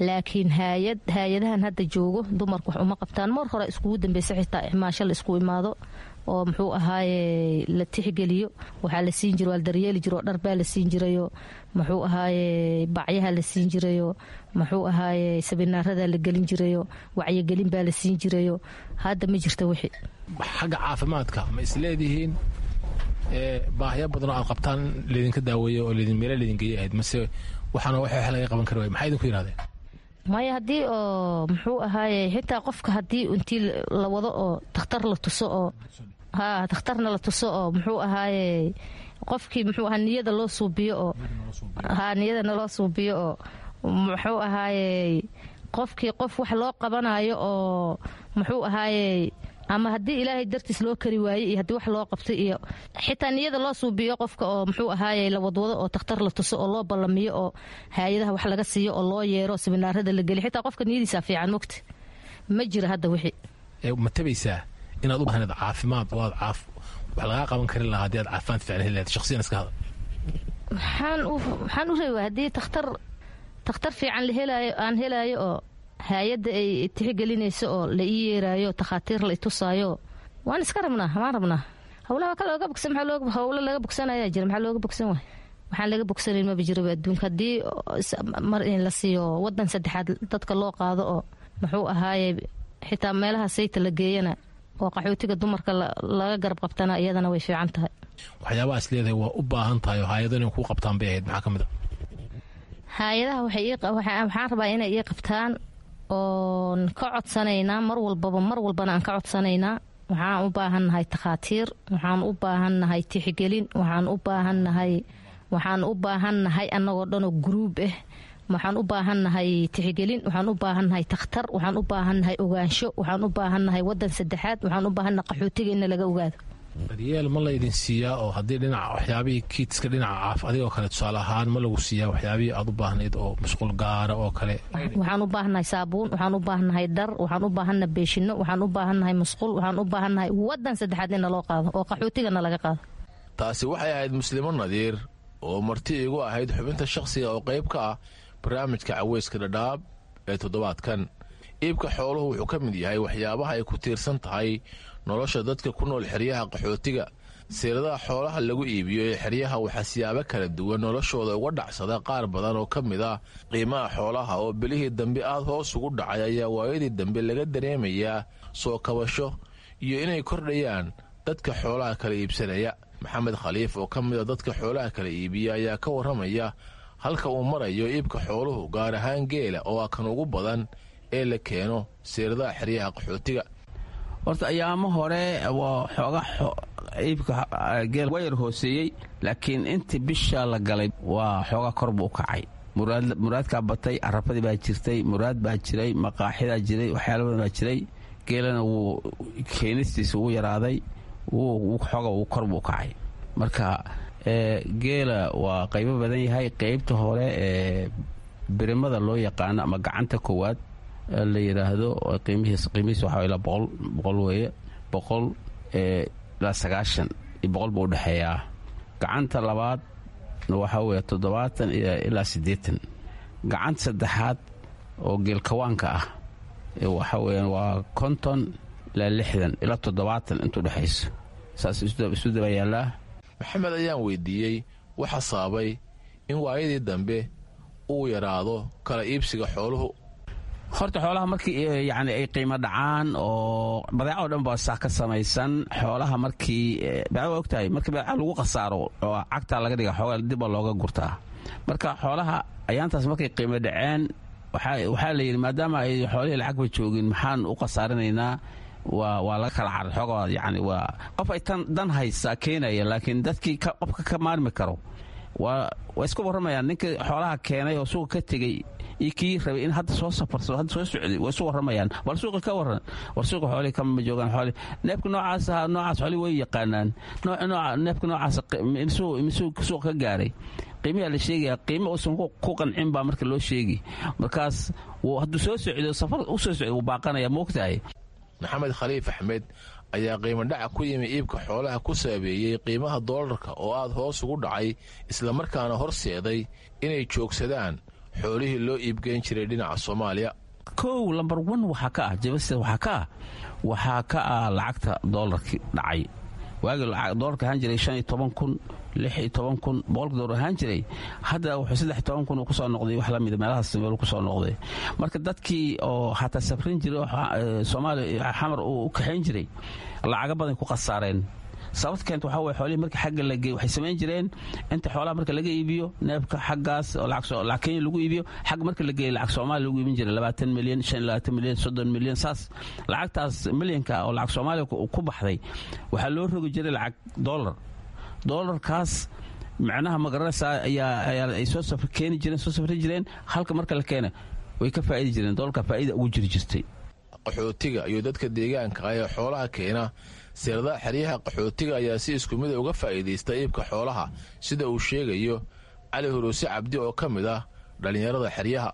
Laakiin haayad haayadahan hadda joogo dumarku wax uma qabtaan. Mar hore iskugu dambeysa xitaa ixmaasho la isku imaado oo muxuu ahaaye la tixgeliyo. Waxaa la siin jiro, waa la daryeeli jiro, dhar baa la siin jirayo, muxuu ahaaye bacyaha la siin jirayo, muxuu ahaaye sabinaarada la gelin jirayo, wacyigelin baa la siin jirayo. Hadda ma jirto wixii. Xagga caafimaadka ma isleedihiin baahyo badan oo aad qabtaan laydinka daaweeyo oo laydin meelo laydin geeyay ahayd, mase waxaana wax laga qaban kari waay? Maxay idinku yidhahdeen? Maya, haddii oo muxuu ahaaye xitaa qofka haddii intii la wado oo takhtar la tuso oo haa takhtarna la tuso oo muxuu ahaaye qofkii muxuu ahaa niyada loo suubiyo oo haa niyadana loo suubiyo oo muxuu ahaaye qofkii qof wax loo qabanayo oo muxuu ahaaye ama haddii Ilaahay dartiis loo kari waayey iyo haddii wax loo qabtay iyo xitaa niyada loo suubiyo qofka oo muxuu ahaaye la wadwado oo takhtar la tuso oo loo ballamiyo oo haayadaha wax laga siiyo oo loo yeero siminaarada la geliyo, xitaa qofka niyadiisa fiican mogta. Ma jira hadda wixii. Ma tabaysaa inaad u baahneed caafimaad oo aad caaf wax lagaa qaban karin lahaa haddii aad caafimaad fiican heli lahayd? Shakhsiyan iska hadal. Waxaan u reebaa haddii takhtar fiican la helaayo, aan helaayo oo haayadda ay tixgelinayso oo la ii yeeraayo, takhaatiir la itusaayo, waan iska rabnaa, waan rabnaa. Howlaha ka looga bogsan, maxaa looga howlo laga bogsanayaa jira, maxaa looga bogsan waay? Waxaan laga bogsanayn maba jiraba adduunka. Haddii mar in la siiyo wadan saddexaad dadka loo qaado oo muxuu ahaaye xitaa meelaha sayta la geeyana oo qaxootiga dumarka laga garab qabtana iyadana way fiican tahay. Waxyaabaha is leedahay waa u baahan tahay oo hay-ado inay kuu qabtaan bay ahayd, maxaa ka mid a? Hay-adaha waxaan rabaa inay ii qabtaan oon ka codsanaynaa mar walbaba, mar walbana aan ka codsanaynaa. Waxaan u baahannahay takhaatiir, waxaan u baahannahay tixgelin, waxaan u baahannahay annagoo dhanoo guruub ah. Waxaan u baahannahay tixgelin, waxaan u baahannahay takhtar, waxaan u baahannahay ogaansho, waxaan u baahannahay wadan saddexaad, waxaan u baahannahay qaxootiga inna laga ogaado. Daryeel ma laydin siiyaa oo haddii dhinaca waxyaabihii kiidska dhinaca caaf adigoo kale tusaale ahaan ma lagu siiyaa waxyaabihii aad u baahnayd oo musqul gaara oo kale? Waxaan u baahannahay saabuun, waxaan u baahannahay dhar, waxaan u baahannahay beeshino, waxaan u baahannahay musqul, waxaan u baahannahay wadan saddexaad in naloo qaado oo qaxootigana laga qaado. Taasi waxay ahayd Muslimo Nadiir oo marti igu ahayd xubinta shakhsiga oo qayb ka ah barnaamijka Caweyska Dhadhaab ee toddobaadkan. Iibka xooluhu wuxuu ka mid yahay waxyaabaha ay ku tiirsan tahay nolosha dadka ku nool xeryaha qaxootiga. Seeladaha xoolaha lagu iibiyo ee xeryaha waxaa siyaabo kala duwan noloshooda uga dhacsada qaar badan oo ka mid ah. Qiimaha xoolaha oo bilihii dambe aad hoos ugu dhacay ayaa waayadii dambe laga dareemayaa soo kabasho iyo inay kordhayaan dadka xoolaha kala iibsanaya. Maxamed Khaliif oo ka mid a dadka xoolaha kala iibiya ayaa ka warramaya halka uu marayo iibka xooluhu, gaar ahaan geela oo ah kan ugu badan ee la keeno seeradaha xeryaha qaxootiga. Horta ayaamo hore waa xooga iibka geel waa yar hooseeyey, laakiin intii bisha la galay waa xooga kor buu u kacay. Muraadkaa batay, arafadii baa jirtay, muraad baa jiray, maqaaxidaa jiray, waxyaala badan baa jiray. Geelana wuu keenistiisa wuu yaraaday, xooga wuu kor buu u kacay. Marka geela waa qaybo badan yahay. Qaybta hore ee birimada loo yaqaano ama gacanta koowaad la yidhaahdo, qiimihiis waxaa ilaa 100, 100 weeye, 100 ilaa 90 iyo 100 buu udhexeeyaa. Gacanta labaad waxaa weeye 70 ilaa 80. Gacanta saddexaad oo geelkawaanka ah waxa weeyaan waa 50 ilaa 60 ilaa 70 intuu dhexayso, saas isu daba yaallaa. Maxamed ayaan weydiiyey waxa sababay in waayadii dambe uu yaraado kala iibsiga xooluhu. Horta xoolaha markii yani ay qiimo dhacaan oo badeeca o dhan baa saa ka samaysan xoolaha, markii badeeca waa ogtahay, markii badeeca lagu khasaaro oo cagtaa laga dhiga, xoogaa dib baa looga gurtaa. Marka xoolaha ayaantaas markay qiimo dhaceen waxaa la yidhi maadaama ay xoolihii lacagba joogin, maxaan u khasaarinaynaa? Waa laga kala caray xoogaa. Yani waa qof ay tan dan haysaa keenaya, laakiin dadkii qofka ka maarmi karo waa isku warramayaan. Ninka xoolaha keenay oo suuqa ka tegey iyo kii rabay in hadda soo safarsado, hadda soo socday, waa isu warramayaan. War suuqa ka warran, war suuqa xoolihii kama joogaan. Xoolihii neefka noocaas ahaa, noocaas xoolihii way yaqaanaan. Nooca neefka noocaas misuu suuqa ka gaaray, qiimiyaa la sheegaya, qiimo uusan ku qancin baa marka loo sheegi. Markaas hadduu soo socdo, safar u soo socdo, wuu baaqanaya, moogtahay. Maxamed Khaliif Axmed ayaa qiimo dhaca ku yimi iibka xoolaha ku saabeeyey qiimaha doolarka oo aad hoos ugu dhacay, islamarkaana horseeday inay joogsadaan xoolihii loo iibgeyn jiray dhinaca Soomaaliya. Kow, lambar one waxaa ka ah jabasta, waxaa ka ah lacagta doolarkii dhacay. Waagii doolarka ahaan jiray 15,000, 16,000 boqolka doolar ahaan jiray, hadda wuxuu 13,000 kusoo noqday, wax lamida meelahaas meel kusoo noqday. Marka dadkii oo xataa safrin jiray oo Soomaaliya Xamar uu u kaxayn jiray lacago badan ku khasaareen. Sababta keenta waxaa weye xoolihii marka xagga la geey waxay samayn jireen inta xoolaha marka laga iibiyo neefka xaggaas oo lacag Kenya lagu iibiyo, xagga marka la geeyo lacag Soomaaliya lagu iibin jiray 20 milyan, 25 milyan, 30 milyan. Saas lacagtaas milyanka oo lacag Soomaaliya ku baxday waxaa loo rogi jiray lacag dollar. Dollarkaas macnaha magaranaysaa ayaa ay soo safr keeni jireen, soo safri jireen. Halka marka la keena way ka faa'idi jireen, dollarka faa'ida ugu jiri jirtay. Qaxootiga iyo dadka deegaanka ah ee xoolaha keena seeradaha xeryaha qaxootiga ayaa si isku mida uga faa'iidaysta iibka xoolaha, sida uu sheegayo Cali Huruuse Cabdi oo ka mid ah dhallinyarada xeryaha.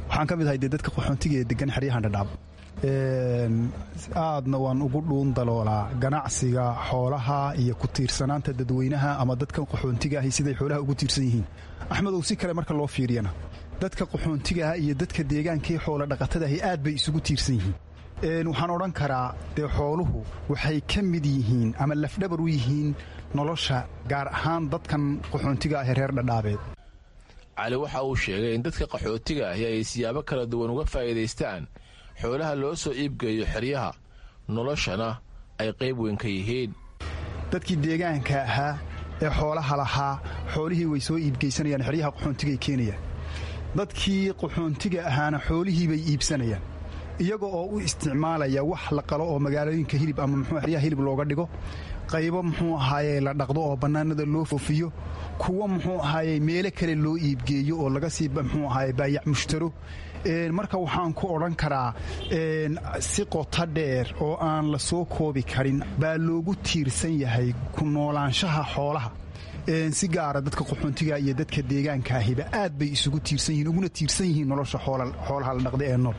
Waxaan ka mid ahay dee dadka qaxoontiga ee degan xeryahan Dhadhaab, aadna waan ugu dhuun daloolaa ganacsiga xoolaha iyo ku tiirsanaanta dadweynaha ama dadkan qaxoontiga ahi siday xoolaha ugu tiirsan yihiin. Axmedow, si kale marka loo fiiriyana, dadka qaxoontigaah iyo dadka deegaankii xoola dhaqatadaahi aad bay isugu tiirsan yihiin. Waxaan odhan karaa dee xooluhu waxay ka mid yihiin ama lafdhabar u yihiin nolosha, gaar ahaan dadkan qaxoontiga ah ee reer Dhadhaabeed. Cali waxa uu sheegay in dadka qaxootiga ahi ay siyaabo kala duwan uga faa'iidaystaan xoolaha loo soo iibgeeyo xeryaha, noloshana ay qayb weyn ka yihiin. Dadkii deegaanka ahaa ee xoolaha lahaa xoolihii way soo iibgeysanayaan, xeryaha qaxoontigay keenayaan. Dadkii qaxoontiga ahaana xoolihii bay iibsanayaan, iyaga oo u isticmaalaya wax la qalo oo magaalooyinka hilib ama muxuu xeryaha hilib looga dhigo, qaybo muxuu ahaaye la dhaqdo oo bannaanada loo foofiyo, kuwo muxuu ahaaye meelo kale loo iibgeeyo oo laga sii muxuu ahaaye baayac mushtaro. Marka waxaan ku odhan karaa si qoto dheer oo aan la soo koobi karin baa loogu tiirsan yahay ku noolaanshaha xoolaha. Si gaara dadka qaxoontiga iyo dadka deegaanka ahiba aad bay isugu tiirsan yihiin, uguna tiirsan yihiin nolosha xoolaha la dhaqda ee nool.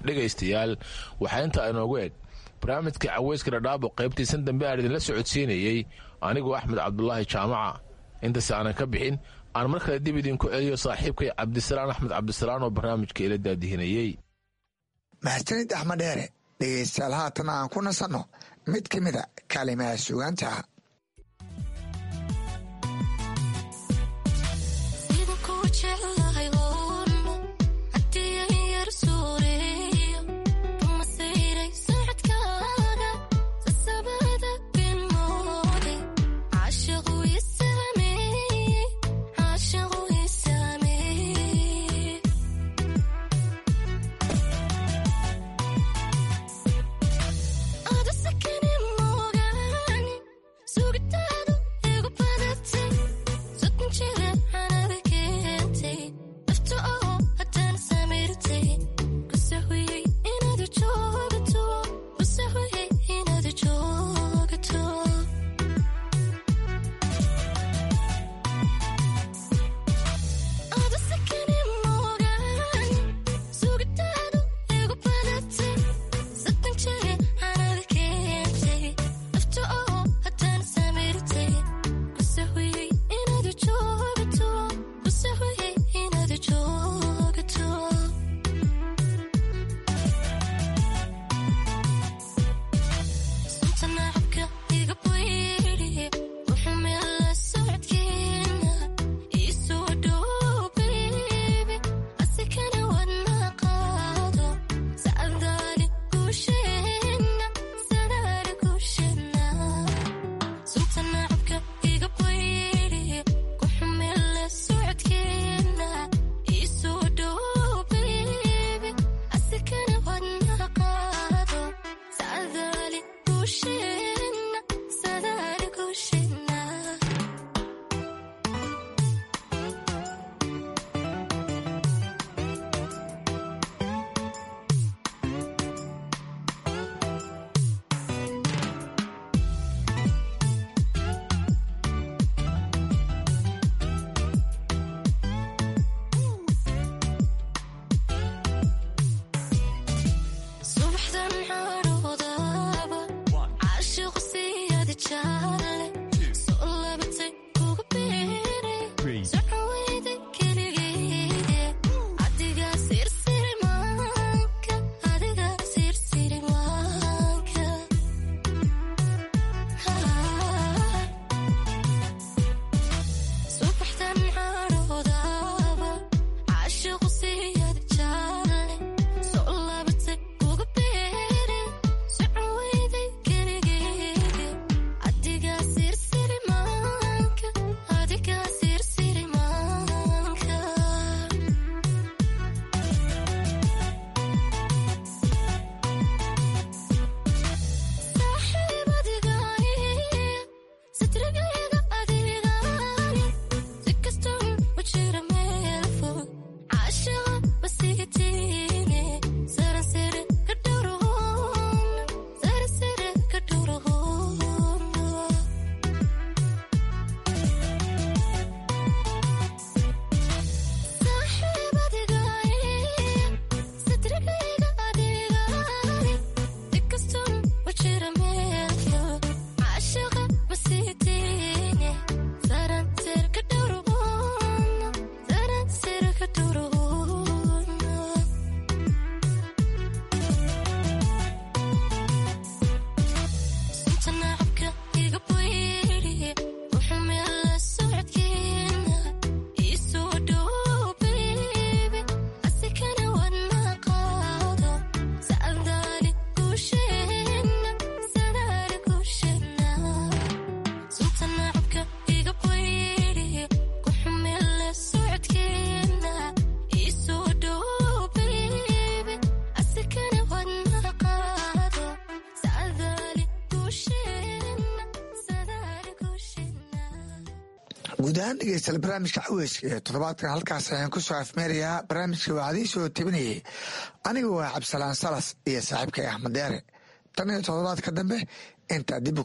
Dhegaystayaal, waxaa intaa inoogu eg barnaamijka caweyska Dhadhaabo qaybtiisan dambe aan idinla socodsiinayey anigoo Axmed Cabdulaahi Jaamaca. Intaas aanan ka bixin, aan mar kale dib idinku celiyo saaxiibkay Cabdisalaan Axmed Cabdisalaan oo barnaamijka ila daadihinayey. Mahadsanid Axmed Dheere. Dhegaystayaal, haatan aan ku nasanno mid ka mida kaalimaha suugaanta. Jira meel fog, caashiqa ma sii. Guud ahaan dhegeystayaal, barnaamijka caweyska ee toddobaadkan halkaas ayaan ku soo afmeerayaa. Barnaamijka waxaa idiin soo tebinayay aniga waa Cabdisalaan Salas iyo saaxiibkay Axmed Deere. Tan iyo toddobaadka dambe intaa dib u